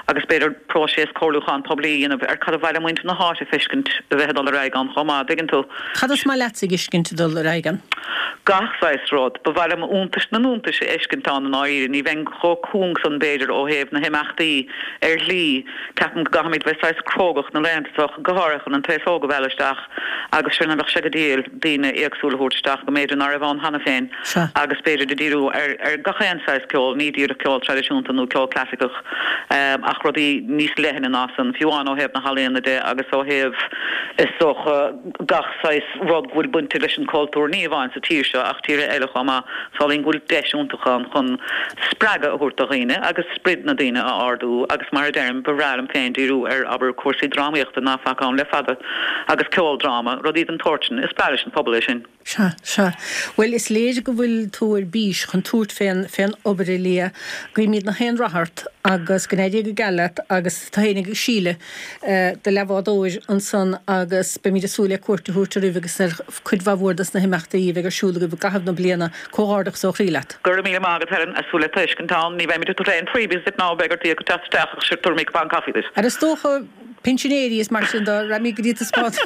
agus b'fhéidir próiseas comhairliúcháin poiblí a dhéanamh ar cad a ba mhaith le muintir na háite a feiscint a bheith ag dul ar aghaidh ann chomh maith, dtuigeann tú. Cad is maith leatsa a fheiscint ag dul ar aghaidh ann? Gach saghas rud. Ba mhaith liom iontais na n-iontais a fheiscint ann i ndáiríre. Ní bheinn chomh cúng san b'fhéidir ó thaobh na himeachtaí ar shlí. Ceapaim go gcaithfimid bheith saghas crógach na laethanta seo, go háirithe chun an t-aos óg a mhealladh isteach agus sin bheadh sé go diail daoine éagsúla a thabhairt isteach go mb'fhéidir ná raibh ann cheana féin agus b'fhéidir de díriú ar ar gach aon saghas ceoil, ní díreach ceol traidisiúnta nó ceol clasaiceach ach rudaí níos leithne ná san, fiú amháin ó thaobh na healaíona de agus ó thaobh is dócha gach saghas rud go bhfuil bainte leis an cultúr, ní amháin sa tír seo ach tíortha eile chomh maith. Samhlaím go bhfuil deis iontach ann chun spreagadh a thabhairt do dhaoine agus sprid na daoine a ardú agus mar a deirim, ba bhreá liom féin díriú ar, abair, cúrsaí drámaíochta ná faca ann le fada agus ceoldráma, rudaí den tsórt sin. Is breá leis an phobal é sin. Sea, sea. Bhuel, is léir go bhfuil tú ar bís chun tabhairt fén, fén obair, a Liadh. Guímid nach aon rath ort agus go n-éirí go geal leat agus tú féin agus Síle, do leathbhádóir ansan agus beimid ag súil le cuairt a thabhairt oraibh agus ar chuid mhaith mhór dos na himeachtaí a bheidh ar siúl agaibh i gcaitheamh na bliana. Comhghairdeachas ó chroí leat. Go raibh míle maith agat Helen, ag súil le tú a fheiscint ann. Ní bheimid ag tabhairt aon freebies duit ná beidh ort íoc ag teacht isteach ach sure tabharfaimid cupán caife duit. Ar is dócha pinsinéirí is mar sin dó, raghaimid go dtí taispeántas.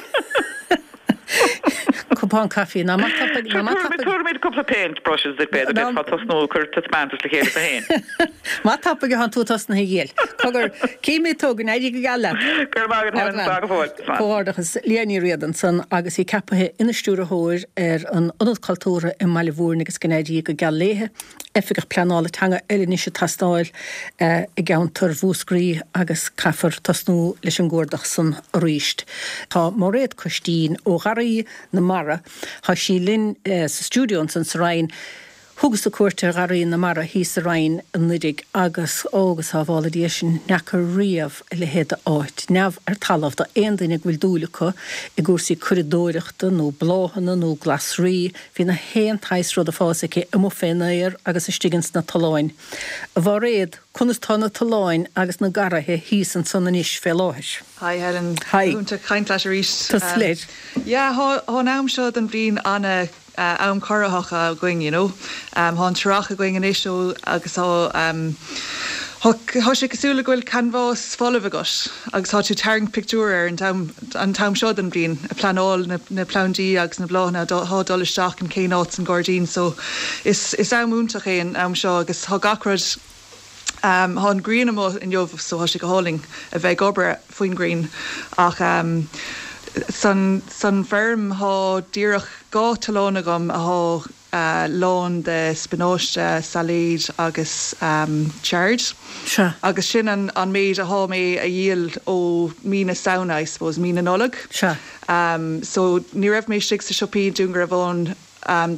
Cupán caife, ná maith tapaidh, ná maith tapaidh. Tabharfaimid cúpla paint brushes duit b'fhéidir, d'fhéadfá tosnú ag cur taispeántas le chéile duit féin. Maith tapaidh atánn tú tosnaithe a dhíol. Cogar, cífimid tú, go n-éirí go geal leat. Go raibh maith agat Helen, slán go fóill. Comhghairdeachas. Liadh Ní Riada ansan agus í ceapaithe ina stiúrthóir ar an Ionad Cultúrtha i mBaile Mhúirne agus go n-éirí go geal léithe. Oifigeach Pleanála Teanga eile anois ag teastáil i gceantar Mhúscraí agus caithfear tosnú leis an gcuardach san arís. Tá Máiréad Coistín ó Gharraí na Mara, tá sí linn sa stiúideo ansan sa Rinn. Thugas-sa cuairt ar Gharraí na Mara thíos sa Rinn anuiridh agus, ó, go sábhála Dia sinn, n'fheaca riamh a leithéid de áit, neamh ar talamh, do aon duine go bhfuil dúil acu i gcúrsaí curadóireachta nó bláthanna nó glasraí, bhí na haon tsaghas rud ag fás aici amuigh fén aer agus istigh ins na tolláin. A Mhairéad, conas tá na tolláin agus na garraithe thíos ansan anois fé láthair? Hi Helen. Hi. Go hiontach caint leat arís. Tusa leir. Yeah, thá an am seo den bhliain ana am corraitheach againn, you know. Thá an t-earrach againn anois ó agus thá thá sé cosúil le go bhfuil canbhás folamh agat agus thá tú ag tarraingt pictiúr air an t-am an t-am seo den bhliain, ag pleanáil na na plandaí agus na bláthanna athá dul isteach in cén áit san gairdín so is is am iontach é an am seo agus thá gach rud Thá an ghrian amuigh inniu so thá sé go hálainn a bheith ag obair faoin ghrian ach san san bhfeirm thá díreach 2 tollán agam athá lán de spionáiste, sailéid agus chard Sea. agus sin an an méid athá mé a dhíol ó mí na Samhna I suppose, mí na Nollag. Sea. So ní raibh mé istigh sa siopaí i Dún Garbhán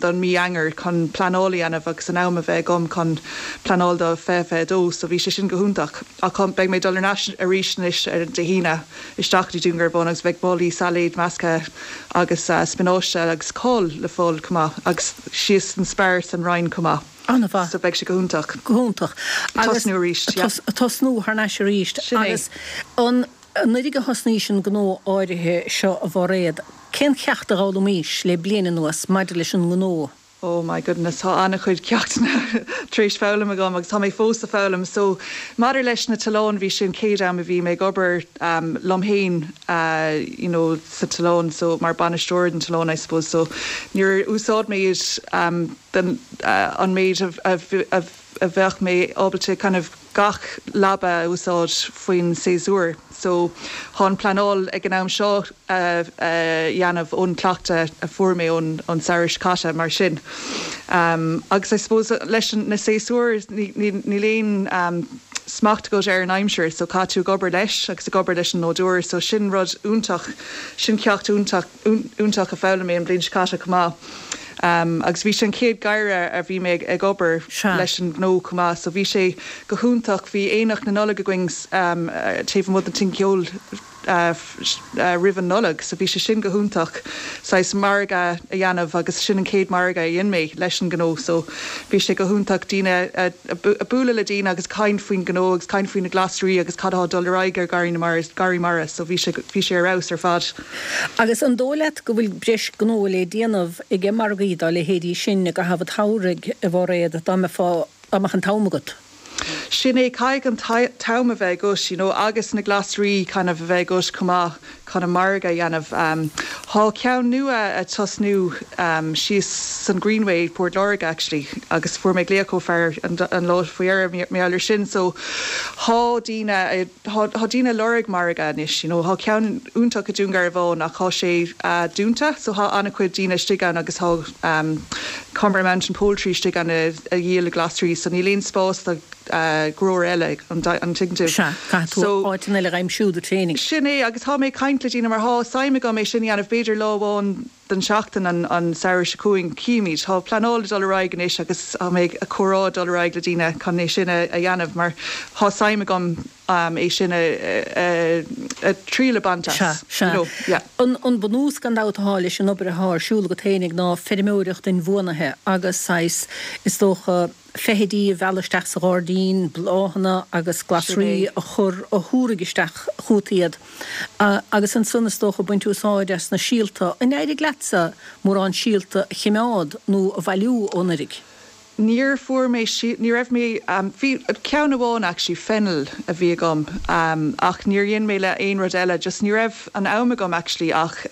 don mí Eanáir chun pleanáil a dhéanamh agus an am a bheith agam chun pleanáil do 2022 so bhí sé sin go hiontach ach beidh mé ag dul ar ais arís anois ar Dé hAoine isteach go dtí Dún Garbhán agus beidh málaí sailéid measctha agus spionáiste agus cál le fáil chomh maith agus síos san Spar san Rinn chomh maith. An-mhaith. So beidh sé go hiontach. Go hiontach. Agus tosnú arís, yeah. Tosnú thar n-ais arís. Sin é. Agus an Anuraidh a thosnaís an gnó áirithe seo a Mhairéad, cén cheacht a d'fhoghlaimís le bliain anuas maidir leis an ngnó? Oh my goodness, tá an-chuid ceachtanna tar éis foghlaim agam agus tá mé fós ag foghlaim. So, maidir leis na tolláin, bhí sin chéad am a bhí mé ag obair liom fhéin you know sa tollán, so mar bainisteoir den tollán I suppose. So, níor úsáid mé iad den an méid a a bheadh mé ábalta kind of gach leaba a úsáid faoin séasúr. So, thá an pleanáil ag an am seo a dhéanamh ón cleachtadh a fuair mé ón ón samhradh seo caite mar sin. Agus I suppose leis na séasúir níl aon smacht agat ar an aimsir so caithfidh tú ag obair leis agus ag obair leis an nádúr so sin rud iontach, sin ceacht iontach iontach a foghlaim mé an bhliain seo caite chomh maith. Agus bhí sé an chéad gheimhreadh a bhí mé ag obair leis an ngnó chomh maith so bhí sé go hiontach. Bhí Aonach na Nollag againn taobh amuigh den Tigh Ceoil roimh an Nollaig so bhí sé sin go hiontach, saghas margadh a dhéanamh agus sin an chéad margadh a dhein mé leis an ngnó so bhí sé go hiontach daoine a bualadh le daoine agus caint faoin ngnó agus caint faoi na glasraí agus cad atá ag dul ar aghaidh ar Gharraí na Mara, Garraí Mara so bhí sé bhí sé ar fheabhas ar fad. Agus an dóigh leat go bhfuil breis gnó le déanamh aige margaí dá leithéidí sin i gcaitheamh an tsamhraidh, a Mhairéad, dá mbeifeá, dá mbeadh an t-am agat? Sin é, caithfidh an t-am a bheith agat, you know, agus na glasraí kind of a bheith agat chomh maith chun an margadh a dhéanamh. Thá ceann nua a' tosnú síos san Greenway, Port Láirge actually, agus fuair mé glaoch ó fear an lá faoi dheireadh mar gheall air sin, so thá daoine a, thá daoine a' lorg margadh anois, you know, thá ceann iontach i Dún Garbhán ach thá sé dúnta so thá an-chuid daoine istigh ann agus thá Comeragh Mountain Poultry istigh ann a dhíol glasraí so níl aon spás do ghnóir eile, an dtuigeann tú? Sea, caithfidh tú So. áiteanna eile a aimsiú duit féinig. Sin é agus thá mé ag caint le daoine mar thá suim agam é sin a dhéanamh b'fhéidir lá amháin den tseachtain an samhradh seo chugainn. Cífimid. Tá pleanáil ag dul ar aghaidh anois agus tá mé ag comhrá ag dul ar aghaidh le daoine chun é sin a dhéanamh mar tá suim agam é sin a triail a bhaint as. Sea, sea. You know, yeah. An bunús gan dabht atá leis an obair atá ar siúl agat féinig ná feirmeoireacht inbhuanaithe agus saghas, is dócha, feithidí a mhealladh isteach sa ghairdín, bláthanna agus glasraí a chur, a thabharfaidh isteach chugat iad. Agus ansan is dócha baint úsáid as na síolta. An éirigh leatsa mórán síolta a chimeád nó a bhailiú ó anuraidh? Níor fuair mé, ní raibh mé, bhí ceann amháin actually, fennel a bhí agam ach níor dhein mé le aon rud eile, just ní raibh an am agam actually ach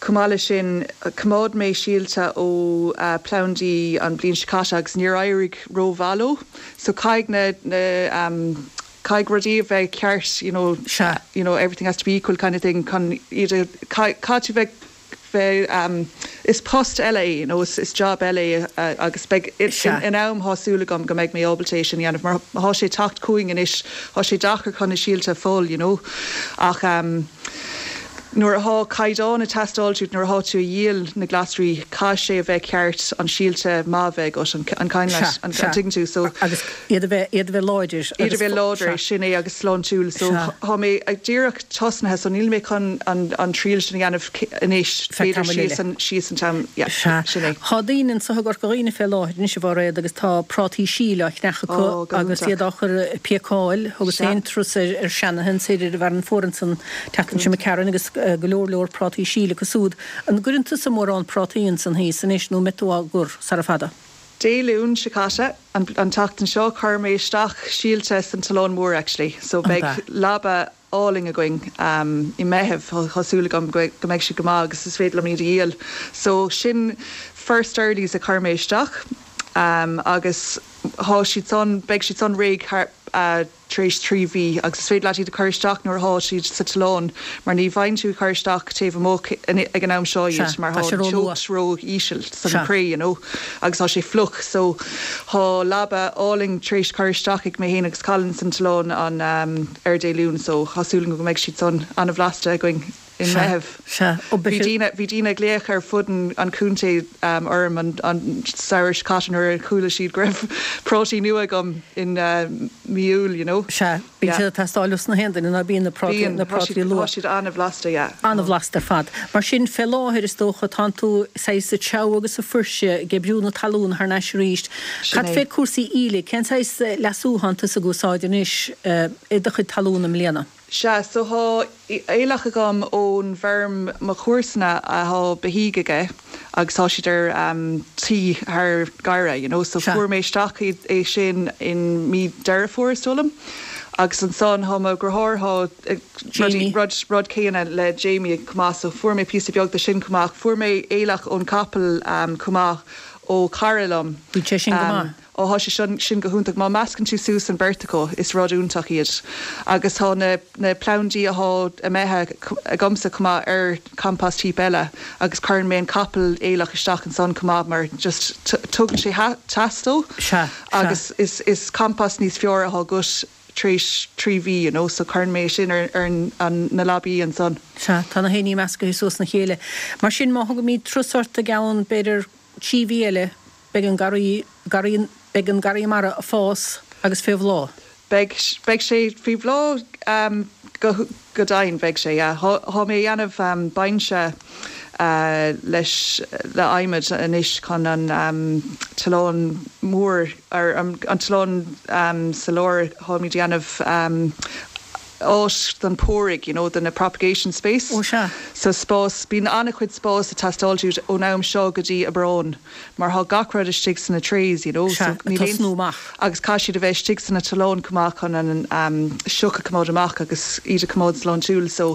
chomh maith leis sin choimeád mé síolta ó plandaí an bliain seo caite agus níor éirigh ró-mhaith leo so caithfidh na, na caithfidh rudaí a bheith ceart you know, Sea. you know everything has to be equal kind of thing chun iad a, caithfidh tú bheith bheith um is post eile é you know is is job eile é agus beidh Sea. in am thá súil agam go mbeidh mé ábalta é sin a dhéanamh mar thá sé teacht chugainn anois thá sé deacair chun na síolta a fáil you know ach um. Nuair athá caighdeán ag teastáil uait nuair athá tú a dhíol na glasraí caithfidh sé a bheith ceart an síolta maith a bheith agat an an kind Sea, an sea. tuigeann tú so. Agus iad a bheith, iad a bheith láidir Iad a agus bheith láidir sea. sin é agus sláintiúil so Sea. thá mé ag díreach tosnaithe so níl mé chun an an triail sin a dhéanamh anois Feadh b'fhéidir tamaill síos eile. an síos an t-am yeah Sea. sin é. Thá daoine anso i gCorca Dhuibhne fé láthair anois a Mháiréad agus tá prátaí síl á cheannach acu Ó go agus hiontach. iad á chur ag píocáil. Thugas Sea. féin turas ar ar seanathe ansoir ar an bhFearann Fuar ansan tseachtain seo imigh tharainn agus go leor leor prátaí síl acu súd. An gcuireann tusa mórán prátaí ansan thíos anois nó an mbeidh tú á gcur sara fada? Dé Luain seo caite, an tseachtain seo, chuir mé isteach síolta san tollán mór actually so beidh leaba álainn againn i Meitheamh, tá súil agam go mbeidh siad go maith agus is féidir liom iad a dhíol. So sin first earlies a chuir mé isteach agus thá siad san, beidh siad san réidh thar tar éis 3 mhí agus is féidir leat iad a chur isteach nuair athá siad sa tollán mar ní bhfaigheann tú ag cur isteach taobh amuigh ag an am seo iad mar thá an teocht ró íseal san cré you know agus tá sé fliuch so thá leaba álainn tar éis cur isteach ag mé fhéin agus Colin san tollán an ar Dé Luain so thá súil agam go mbeidh siad san ana-bhlasta againn. i Meitheamh. Sea. Ó, Bhí daoine, bhí daoine ag glaoch ar fud an chontae orm an samhradh seo caite nuair a chuala siad go raibh prátaí nua agam in mí Iúil, you know. Sea, bíonn siad ag teastáil os na haon duine ná bíonn na prátaí, Bíonn, na tá siad, prátaí tá luath. siad an-bhlasta, yeah. An-bhlasta ar fad. Mar sin, fé láthair, is dócha, tánn tú saghas ag treabhadh agus ag fuirseadh, ag oibriú na talún thar n-ais arís. Sin Cad é. fé cúrsaí aoiligh, cén saghas leasú thánn tusa ag úsáid anois i do chuid talún i mbliana? Sea, so thá aoileach agam ón bhfeirm mo chomharsana athá beithígh aige agus tá siad ar tí thar garrdha, you know, so fuair mé isteach é sin in mí Deireadh Fómhair is dóigh liom agus ansan thá mo dheartháir thá rudaí, rud, rud céanna le Jamie chomh maith so fuair mé píosa beag de sin chomh maith. Fuair mé aoileach ón capall chomh maith ó chara liom. Bíonn sé sin go maith. Ó thá sé sin, sin go hiontach. Má meascann tú suas an beirt acu, is rud iontach iad. Agus tá na, na plandaí athá imithe agamsa chomh maith ar compost heap eile agus cuireann mé an capall aoileach isteach ansan chomh maith mar just tugann sé teas dó Sea, sea. agus is, is compost níos fearr athá agat tar éis 3 mhí you know so cuireann mé sin ar, ar an, na leabaí ansan. Sea, tá na héiní meascaithe suas ina chéile. Mar sin má thugaimid turas ort i gceann, b'fhéidir, 3 mhí eile, Beidh an garraí, garraí, beidh an garraí mara ag fás agus fé bhláth. Beidh, beidh sé faoi bhláth go, go deimhin, beidh sé, yeah. Thá, thá mé a dhéanamh binse leis, le adhmad anois chun an tollán mór, ar an tollán sa lár, tháimid a dhéanamh áit don póraigh, you know, do na propagation space. Ó sea. So spás, bíonn an-chuid spás ag teastáil uait ón am seo go dtí Aibreán mar thá gach rud istigh sna trays, you know, Sea, so ag níl aon, tosnú amach. agus caithfidh siad a bheith istigh sna tolláin chomh maith chun an sioc a choimeád amach agus iad a choimeád sláintiúil. So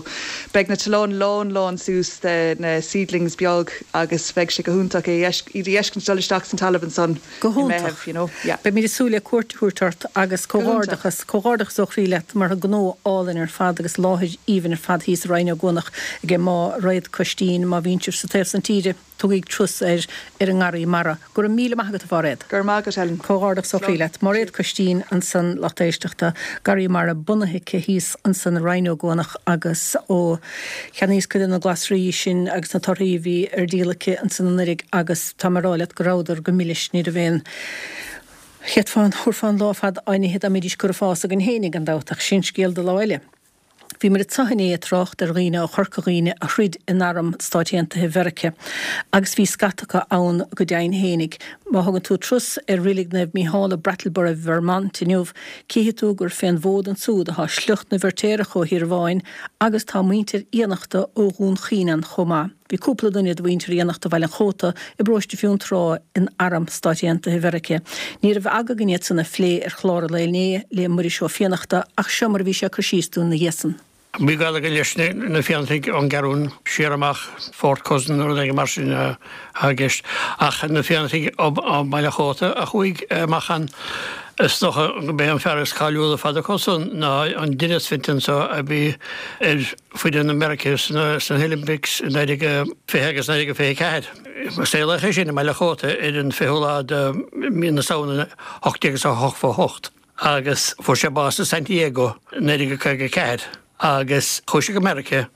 beidh na tolláin lán lán suas de na seedlings beag agus beidh sé go hiontach é, iad a fheiscint dul isteach san talamh ansan. Go i hiontach. Meitheamh, you know, yeah. Beimid ag súil le cuairt a thabhairt ort agus Go hiontach. comhghairdeachas, comhghairdeachas ó chroí leat mar tá gnó álainn ar fad agus láthair aoibhinn ar fad thíos i Rinn Ó gCuanach ag Máiréad Coistín. Má bhíonn sibh sa taobh san tíre, tugaig turas ar ar an nGarraí Mara. Go raibh míle maith agat a Mháiréad. Go raibh maith agat Helen. Comhghairdeachas ó chroí Slán. leat. Máiréad Coistín ansan lucht éisteachta, Garraí Mara bunaithe aici thíos ansan i Rinn Ó gCuanach agus ó Cheannaíos cuid de na glasraí sin agus na torthaí a bhí ar díol aici ansan anuiridh agus tá mé a rá leat go rabhadar go milis, ní raibh aon, chéadfá, thabharfá an lá ar fad á n-ithe dá mbeidís curtha ag fás againn fhéinig gan dabht ach sin scéal do lá eile. Bhíomar anso inné ag trácht ar dhaoine ó Chorca Dhuibhne a throid in arm Stáit Aontaithe Mheirice agus bhí scata acu ann go deimhin fhéinig. Má thugann tú turas ar Reilig Naomh Mícheál i Brattleboro, Vermont inniu, Cífidh tú gur fén bhfód ansúd athá sliocht na bhFeirtéarach ó Thír Bháin agus tá muintir Fhiannachta ó Dhún Chaoin ann chomh maith. Bhí cúpla duine de mhuintir Fhiannachta Bhaile an Chóta i bparóiste Fionntrá in Arm Stáit Aontaithe Mheirice. Ní raibh aga againn iad san a phlé ar chlár an lae inné le Muiris Ó Fiannachta ach seo mar a bhí sé ag cur síos dúinn ina dhiaidh san. Bhí gaol againn leis na Fiannachtaigh ón gCeathrún siar amach, Fourth cousin nó rud éigin mar sin atá i gceist. Ach na Fiannachtaigh ó Bhaile an Chóta a chuaigh amach ann, is dócha gurb é an fear is cáiliúla ar fad acu san ná an Denis Fenton so a bhí ar foireann Meiriceá sna hOlympics i 1920 agus 1924. Saolaíodh é sin i mBaile an Chóta ar an 20ú lá de mhí na Samhna 1888. agus fuair sé bás i San Diego i 1954 agus chuaigh sé go Meiriceá.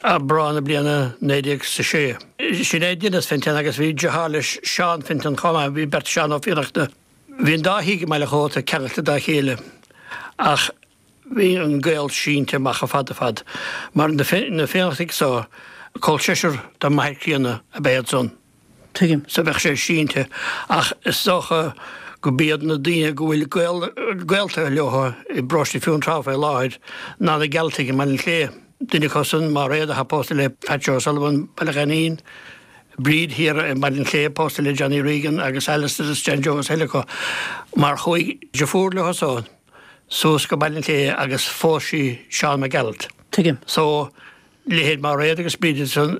Aibreán na bliana 1906. Sin é Denis Fenton agus bhí deartháir leis Seán Fenton chomh maith, bhí beirt Seán Ó Fiannachta. Bhí an dá thigh i mBaile an Chóta ceangailte dá chéile ach bhí an gaol sínte amach chomh fada fad mar na Fiannachtaigh so, col seisear dá máthair críonna ab ea iad san. Tuigim. So bheadh sé sínte ach is dócha go b'iad na daoine go bhfuil gaol, gaolta leo i bparóiste Fionntrá fé láthair ná na Gealtaigh i mBaile an Chlé. Duine acu san, Máiréad, atá pósta le Pat Joe O'Sullivan, Baile Ghainín, Bríd thiar i mBaile an Chlé pósta le Johnny Regan agus Alistair is John Joe is eile acu mar chuaigh deirfiúr leo san suas go Baile an Chlé agus phós sí Seán Mac Gearailt. Tuigim. So leithéid Máiréad agus Bríd san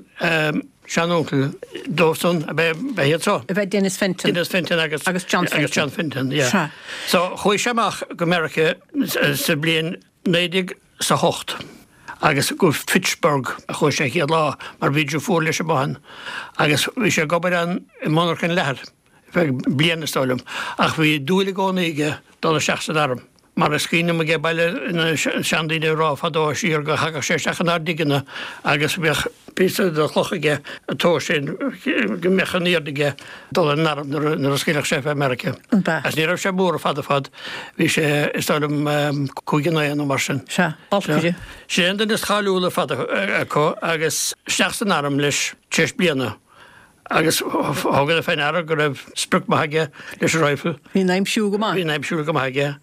sean-uncail dóibh san ab ea iad so. Ab ea Denis Fenton. Denis Fenton agus agus John Fenton. Agus John Fenton, yeah. Sea. So chuaigh sé amach go Meiriceá sa bhliain 1908 agus go Fitchburg a chuaigh sé an chéad lá mar bhí deirfiúr leis amuigh ann agus bhí sé ag obair ann i monarcha leathair ar feadh bliana is dóigh liom ach bhí dúil i gcónaí aige dul isteach san arm. Mar is cuimhin liom age baile na seandaoine ag rá fadó siar go thagadh sé isteach inár dtigeanna agus bheadh píosa de chloch aige ag tomhas sin go mbeadh an airde aige dul ar an arm nuair a scaoilfeadh sé fé Meiriceá. Agus ní raibh sé mór fada fad, bhí sé is dóigh liom 5 9 nó mar sin. Sea, balcaire. Sé an duine is cáiliúla ar fad acu agus isteach san arm leis tar éis bliana. Agus thugadar fé ndeara go raibh sprioc maith aige leis an rifle. Bhí an aimsiú go maith. Bhí an aimsiú go maith aige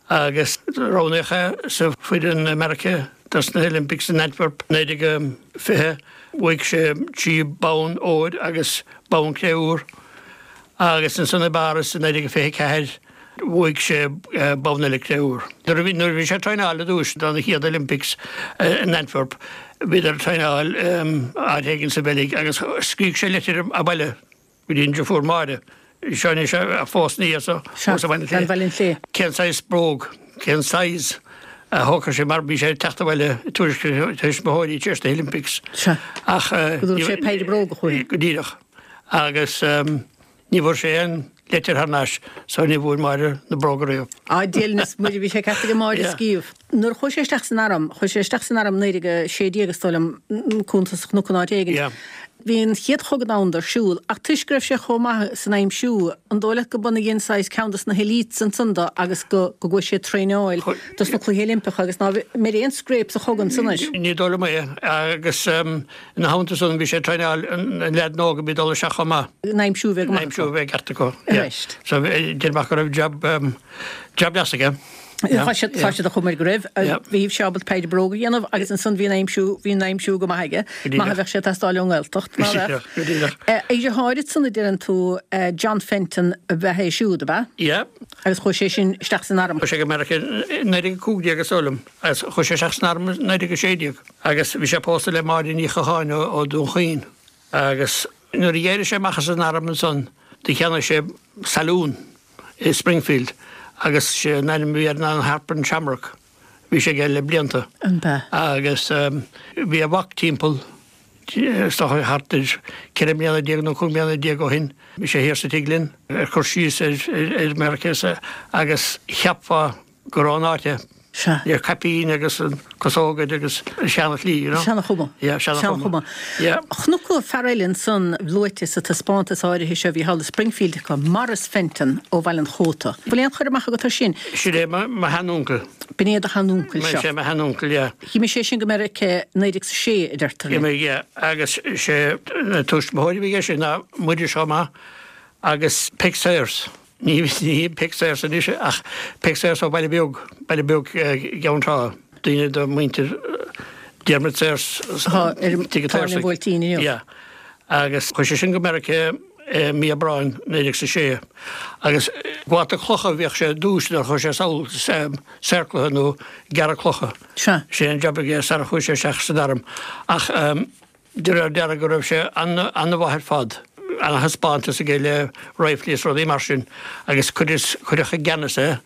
agus roghnaíodh é sa foireann i Meiriceá dos na Olympics in Antwerp 1920. Bhuaigh sé 3 bonn óir agus bonn cré-úr agus ansan i bPáras i 1924 Bhuaigh sé bonn eile cré-úr. Nuair a bhí nuair a bhí sé ag traenáil ar dtús don chéad Olympics in Antwerp, bhíodar ag traenáil áit éigin sa Bheilg agus scrígh sé litir abhaile go dtí an deirfiúr Máire, seo anois a phós ina dhiaidh so, thuas i Baile an Chlé. Cén saghas bróg, cén size a thógfadh sé mar bhí sé ag teacht abhaile ag tuairisc a thuismitheoirí tar éis na Olympics. Sea. Ach Go dtabharfadh sé péire bróga chuici. Go díreach. Agus. Ní bhfuair sé aon leitir thar n-ais so ní bhfuair Máire na bróga riamh. Á, Dia linn is Muire, bhí sé ceart aige Máire a scríobh. Nuair a chuaigh sé isteach san arm, chuaigh sé isteach san arm 1916 is dóigh liom, cuntas a chonac in áit éigin. Bhí an chéad chogadh domhanda ar siúl ach toisc go raibh sé chomh maith san aimsiú, an dóigh leat go b'in a dhein saghas ceann dos na helites ansan do agus go go gcuaigh sé ag traenáil dos na cluichí Oilimpeacha agus ná mbeidh aon scrape sa chogadh ansan air. Ní dóigh liom é agus Ina theannta san bhí sé ag traenáil na leaideanna óga a bhí ag dul isteach chomh maith. An aimsiú a bheith go maith acu. An aimsiú a bheith ceart acu. Arís. So déarfainn go raibh jab jab deas aige. Tá siad tá siad a chumar go raibh. Bhí sé ábalta péire bróg a dhéanamh agus ansan bhí an aimsiú bhí an aimsiú go maith aige. Maith a bheadh sé ag teastáil ón nGaeltacht, ná raibh? Go díreach. A dheartháir ansan a deireann tú John Fenton ab ea é siúd, ab ea? Yeah. Agus chuaigh sé sin isteach san arm. Chuaigh sé go Meiriceá i 1915 is dóigh liom agus chuaigh sé isteach san arm i 1916. Agus bhí sé pósta le Máire Ní Chatháin ó Dún Chaoin. Agus nuair a d'éirigh sé amach as an arm ansan do cheannaigh sé saloon i Springfield agus sé an ainm a bhí air ná an Harp and Shamrock. Bhí sé aige le blianta. An b'ea? Agus bhí a mhac timpeall is dócha thart ar 14 mbliana nó 15 mbliana ó shin. Bhí sé thiar sa tigh linn ag cur síos ar Meiriceá agus cheapfá gur ón áit é. Sea. Le caipín agus an casóg air agus an seana-shlí, you know. Seana-chuma. Yeah, seana-chuma. Seana-chuma. Yeah. Chonac fear eile ansan luaite sa taispeántas áirithe seo a bhí thall i Springfield acu, Maurice Fenton ó Bhaile an Chóta. Bhfuil aon chur amach agat air sin? Sin é mo shean-uncail. B'in é do shean-uncail seo. Sin é mo shean-uncail, yeah. D'imigh sé sin go Meiriceá 1906, a deirtear linn. D'imigh, yeah. Agus sé na tuismitheoirí a bhí aige sin ná Muiris chomh maith agus Peig Sayers. Ní hí Peig Sayers anois ach Peig Sayers ó Bhaile Beag, Baile Beag Cheann Trá, duine de mhuintir Diarmuid Sayers Atá ar an Tigh an Táin tSaorsaigh. Bhuailtín inniu. Yeah. Agus chuaigh sé sin go Meiriceá i mí Aibreáin 1906 agus ag gabháil clocha a bhíodh sé ar dtús nuair a chuaigh sé sall, saor cloiche nó gearradh clocha. Sea. Sé an jab aige sara chuaigh sé isteach san arm. Ach De réir dealraimh go raibh sé an-mhaith ar fad, ana-thaispeántas aige le riflí is rudaí mar sin agus cuireadh i gceannas é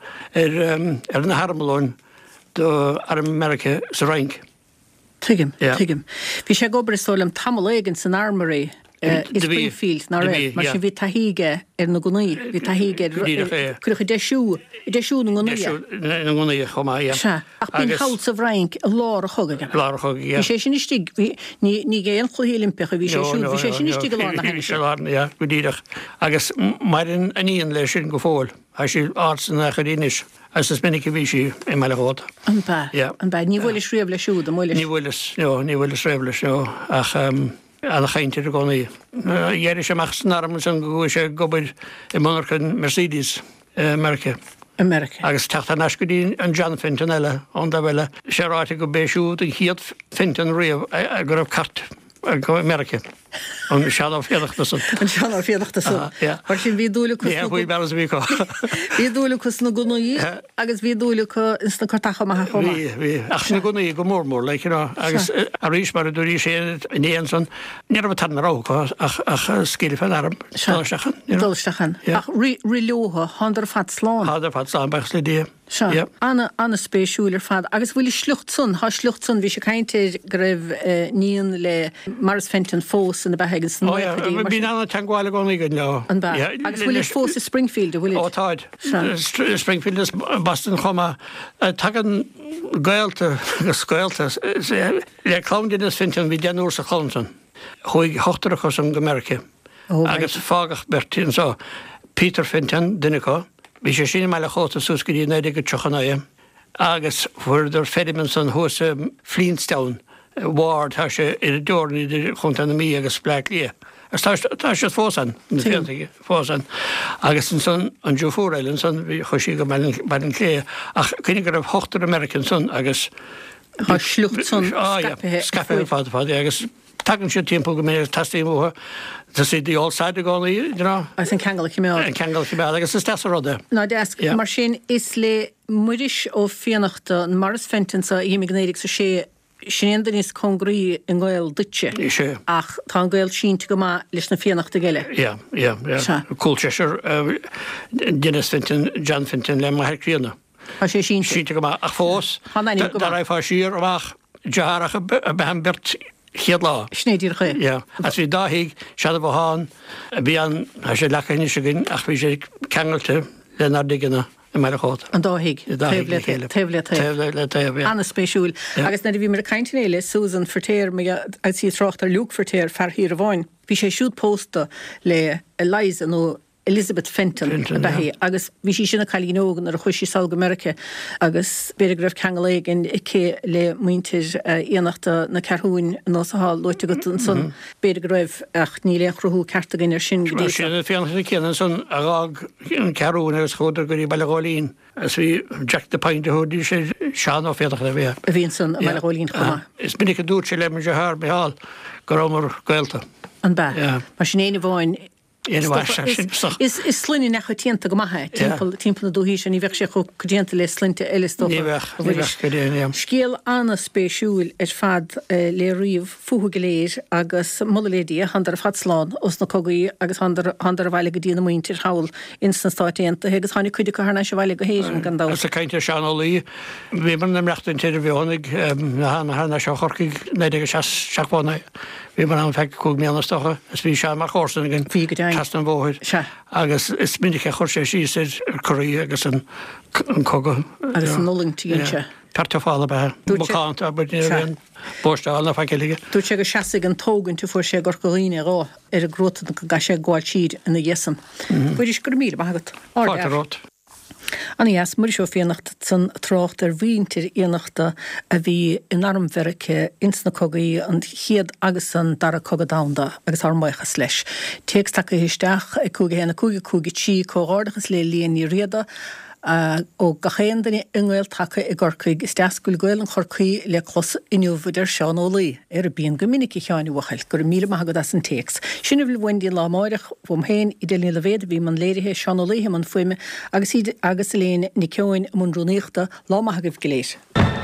ar na harmlóin do Arm Mheiriceá sa Fhrainc. Tuigim, tuigim. Bhí sé ag obair is dóigh liom tamall éigin san Armory. I Springfield, ná raibh? Mar sin bhí taithí aige ar na gunnaí, bhí taithí aige ar, cuireadh ag deisiú, ag deisiú na ngunnaí é. Deisiú na ngunnaí chomh maith, yeah. Sea. Ach b'in thall sa bhFrainc i lár an chogaidh, ab ea? Lár an chogaidh, yeah. Bhí sé sin istigh, bhí, ní, ní ag aon chluichí Oilimpeacha a bhí sé siúd, bhí sé sin istigh i lár na hainnise. Bhí sé i lár, yeah, go díreach. Agus maireann a iníon leis sin go fóill. Tá sí ard sna naochaidí anois agus is minic a bhí sí i mBaile Chóta. An b'ea? Yeah. An b'ea? Ní bhuailis riamh leis siúd, an mbuailis? Ní bhuaileas, no, ní bhuaileas riamh leis, no, ach ana-chaint air i gcónaí. D'éirigh sé amach as an arm ansan go gcuaigh sé ag obair i monarchain Mercedes i Meiriceá. I Meiriceá. Agus teacht thar n-ais go dtí an John Fenton eile ón dtaobh eile, sé ráite go b'é siúd an chéad Fenton riamh go raibh cairt acu i Meiriceá. An Seán Ó Fiannachta san. An Seán Ó Fiannachta san. Mar sin bhí dúil acu sna. Wheelbarrows a bhí acu. Bhí dúil acu sna gunnaí agus bhí dúil acu ins na cairteacha maithe chomh maith. Bhí, bhí. Ach sna gunnaí go mór mór, like, you know. Agus arís mar a dúraís féin inné ansan, ní raibh an tarna rogha acu ach, ach scil fén arm, dul isteach ann, you know. Dul isteach ann. Ach rith, rith leotha, thánadar ar fad slán. Thánadar ar fad slán, buíochas le Dia. Sea. Ana, ana-spéisiúil ar fad. Agus bhfuil a sliocht san, thá a sliocht san, bhí sé ag caint air go raibh níon le Maurice Fenton fós ina beatha ag sna Ó yeah, nóchaidí, mar sin. Bíonn ana-teangmháil i gcónaí againn leo. An b'ea? Yeah. Agus bhfuilid fós i Springfield, an bhfuilid? Ó táid. Sea. Springfield is Boston chomh maith. Tagann gaolta agus gaolta le clann Denis Fenton, bhí deichniúr sa chlann san. Chuaigh ochtar acu san go Meiriceá. Agus fágadh beirt anseo, Peter Fenton, duine acu, bhí sé sin i mBaile Chóta suas go dtí 1939, agus fuaireadar feirm ansan thuas i Flintstown Ward, tá sé ar an dteorainn idir Chontae na Mí agus Bleá Cliath. Agus tá, tá siad fós ann, na Fiannachtaigh fós ann. Agus ansan an deirfiúr eile ansan, bhí, chuaigh sí go Baile an Chléibh, ach cuimhnigh go raibh ochtar i Meiriceá ansan agus. Tá a sliocht san scaipthe. Scaipthe ar fad, ar fad, agus. Tagann siad timpeall go minic, teastaíonn uathu, to see the old side i gcónaí, you know. Agus an ceangal a choimeád. An ceangal a choimeád, agus is deas an rud é. Ná deas. Yeah. Mar sin, is le Muiris Ó Fiannachta, an Maurice Fenton so a d'imigh i 1906, sin é an duine is cóngaraí i ngaol duitse. Is ea. Ach tá an gaol sínte go maith leis na Fiannachtaigh eile. Yeah, yeah, yeah. Sea. Col seisear Denis Fenton, John Fenton le m'athair críonna. Tá sé sínte. Sínte go maith. Ach fós, dá raghfá siar amach, deartháireacha ab ea an bheirt chéad lá. Sin é díreach é. Yeah. Agus bhí dá thigh, seana-bhothán a bhí ann, tá sé leagtha anois againn, ach bhí sé ceangailte lenár dtigeanna i mBaile Chóta. An dá thigh. An dá thigh le chéile. Taobh le taobh. Taobh le taobh, yeah. An-spéisiúil. Agus nuair a bhíomar ag caint inné le Susan Feirtéar, agus í ag trácht ar Luke Feirtéar, fear Thír Bhí sé siúd pósta le Eliza nó Elizabeth Fenton ab ea í agus bhí sí ina cailín óg nuair a chuaigh sí sall go Meiriceá agus b'fhéidir go raibh ceangal éigin aici le muintir Fhiannachta na Ceathrún ar nós atá luaite agat ansan. B'fhéidir go raibh ach níl aon chruthú ceart againn air sin go dtí seo. Sin na Fiannachtaigh céanna ansan a dh'fhág an Cheathrún agus chuadar go dtí Baile Ghóilín agus bhí Jack the Pint a thabharfaidís air, Seán Ó Fiannachta a bhí. A bhí ansan i mBaile Ghóilín chomh maith. Is minic a dúirt sé le mo dheartháir Micheál go rabhamar gaolta. An b'ea? Mar sin éinne amháin Is sloinne neamhchoitianta go maith é, timpeall na dúichí seo, ní bheadh sé chomh coitianta le sloinnte eile is dócha. Ní bheadh, ní bheadh, go deimhin. Scéal an-spéisiúil ar fad le ríomh fúthu go léir agus moladh le Dia, thánadar ar fad slán ós na cogaí agus thánadar abhaile go dtí na muintir thall ins na Stáit Aontaithe agus tháinig cuid acu thar n-ais abhaile go hÉirinn gan dabht. Agus ag caint ar Seán Ó Laoi, bhíomar ina mbrachtaint ar an bhFeothanaigh, thar n-ais ó Chorcaigh 1979. Bhíomar ann feadh 5 mbliana is dócha, is bhí Seán mar chomharsan againn. Bhí, go deimhin. Trasna an bhóthair. Sea. Agus is minic a chuir sé síos ar Korea agus an cogadh. Agus an fhulaingt a dhein sé. Fear tufála ab ea é. Dúirt sé. Macánta, abair, ní raibh aon bóisteáil ná faic eile aige. Dúirt sé go seasfaidh an tógaint a fuair sé i gCorca Dhuibhne dhó ar an gcruatan go gcaithfidh sé gabháil siar ina dhiaidh san. Mhuiris, go raibh míle maith agat. Fáilte romhat. Ana dheas, Muiris Ó Fiannachta ansan ag trácht ar mhuintir Fhiannachta a bhí in arm Mheirice ins na cogaí, an chéad agus an dara cogadh domhanda, agus ár mbuíochas leis. Téacs tagtha isteach ag 5 1 5 5 3 Comhghairdeachas le Elaine Ní Riada ó gach aon duine i nGael-Taca i gCorcaigh. Is deas go bhfuil Gaolainn Chorcaí le clos inniu, a deir Seán Ó Laoi. Ara bíonn go minic a Sheáin a bhuachaill. Go raibh míle maith agat as an téacs. Sin a bhfuil uainn go dtí an lá amáireach. Uaim féin, Edel Ní Loibhéad a bhí i mbun léirithe, Seán Ó Laoithe i mbun fuaime agus agus Elaine Nic Eoin i mbun rúnaíochta. Lá maith agaibh go léir.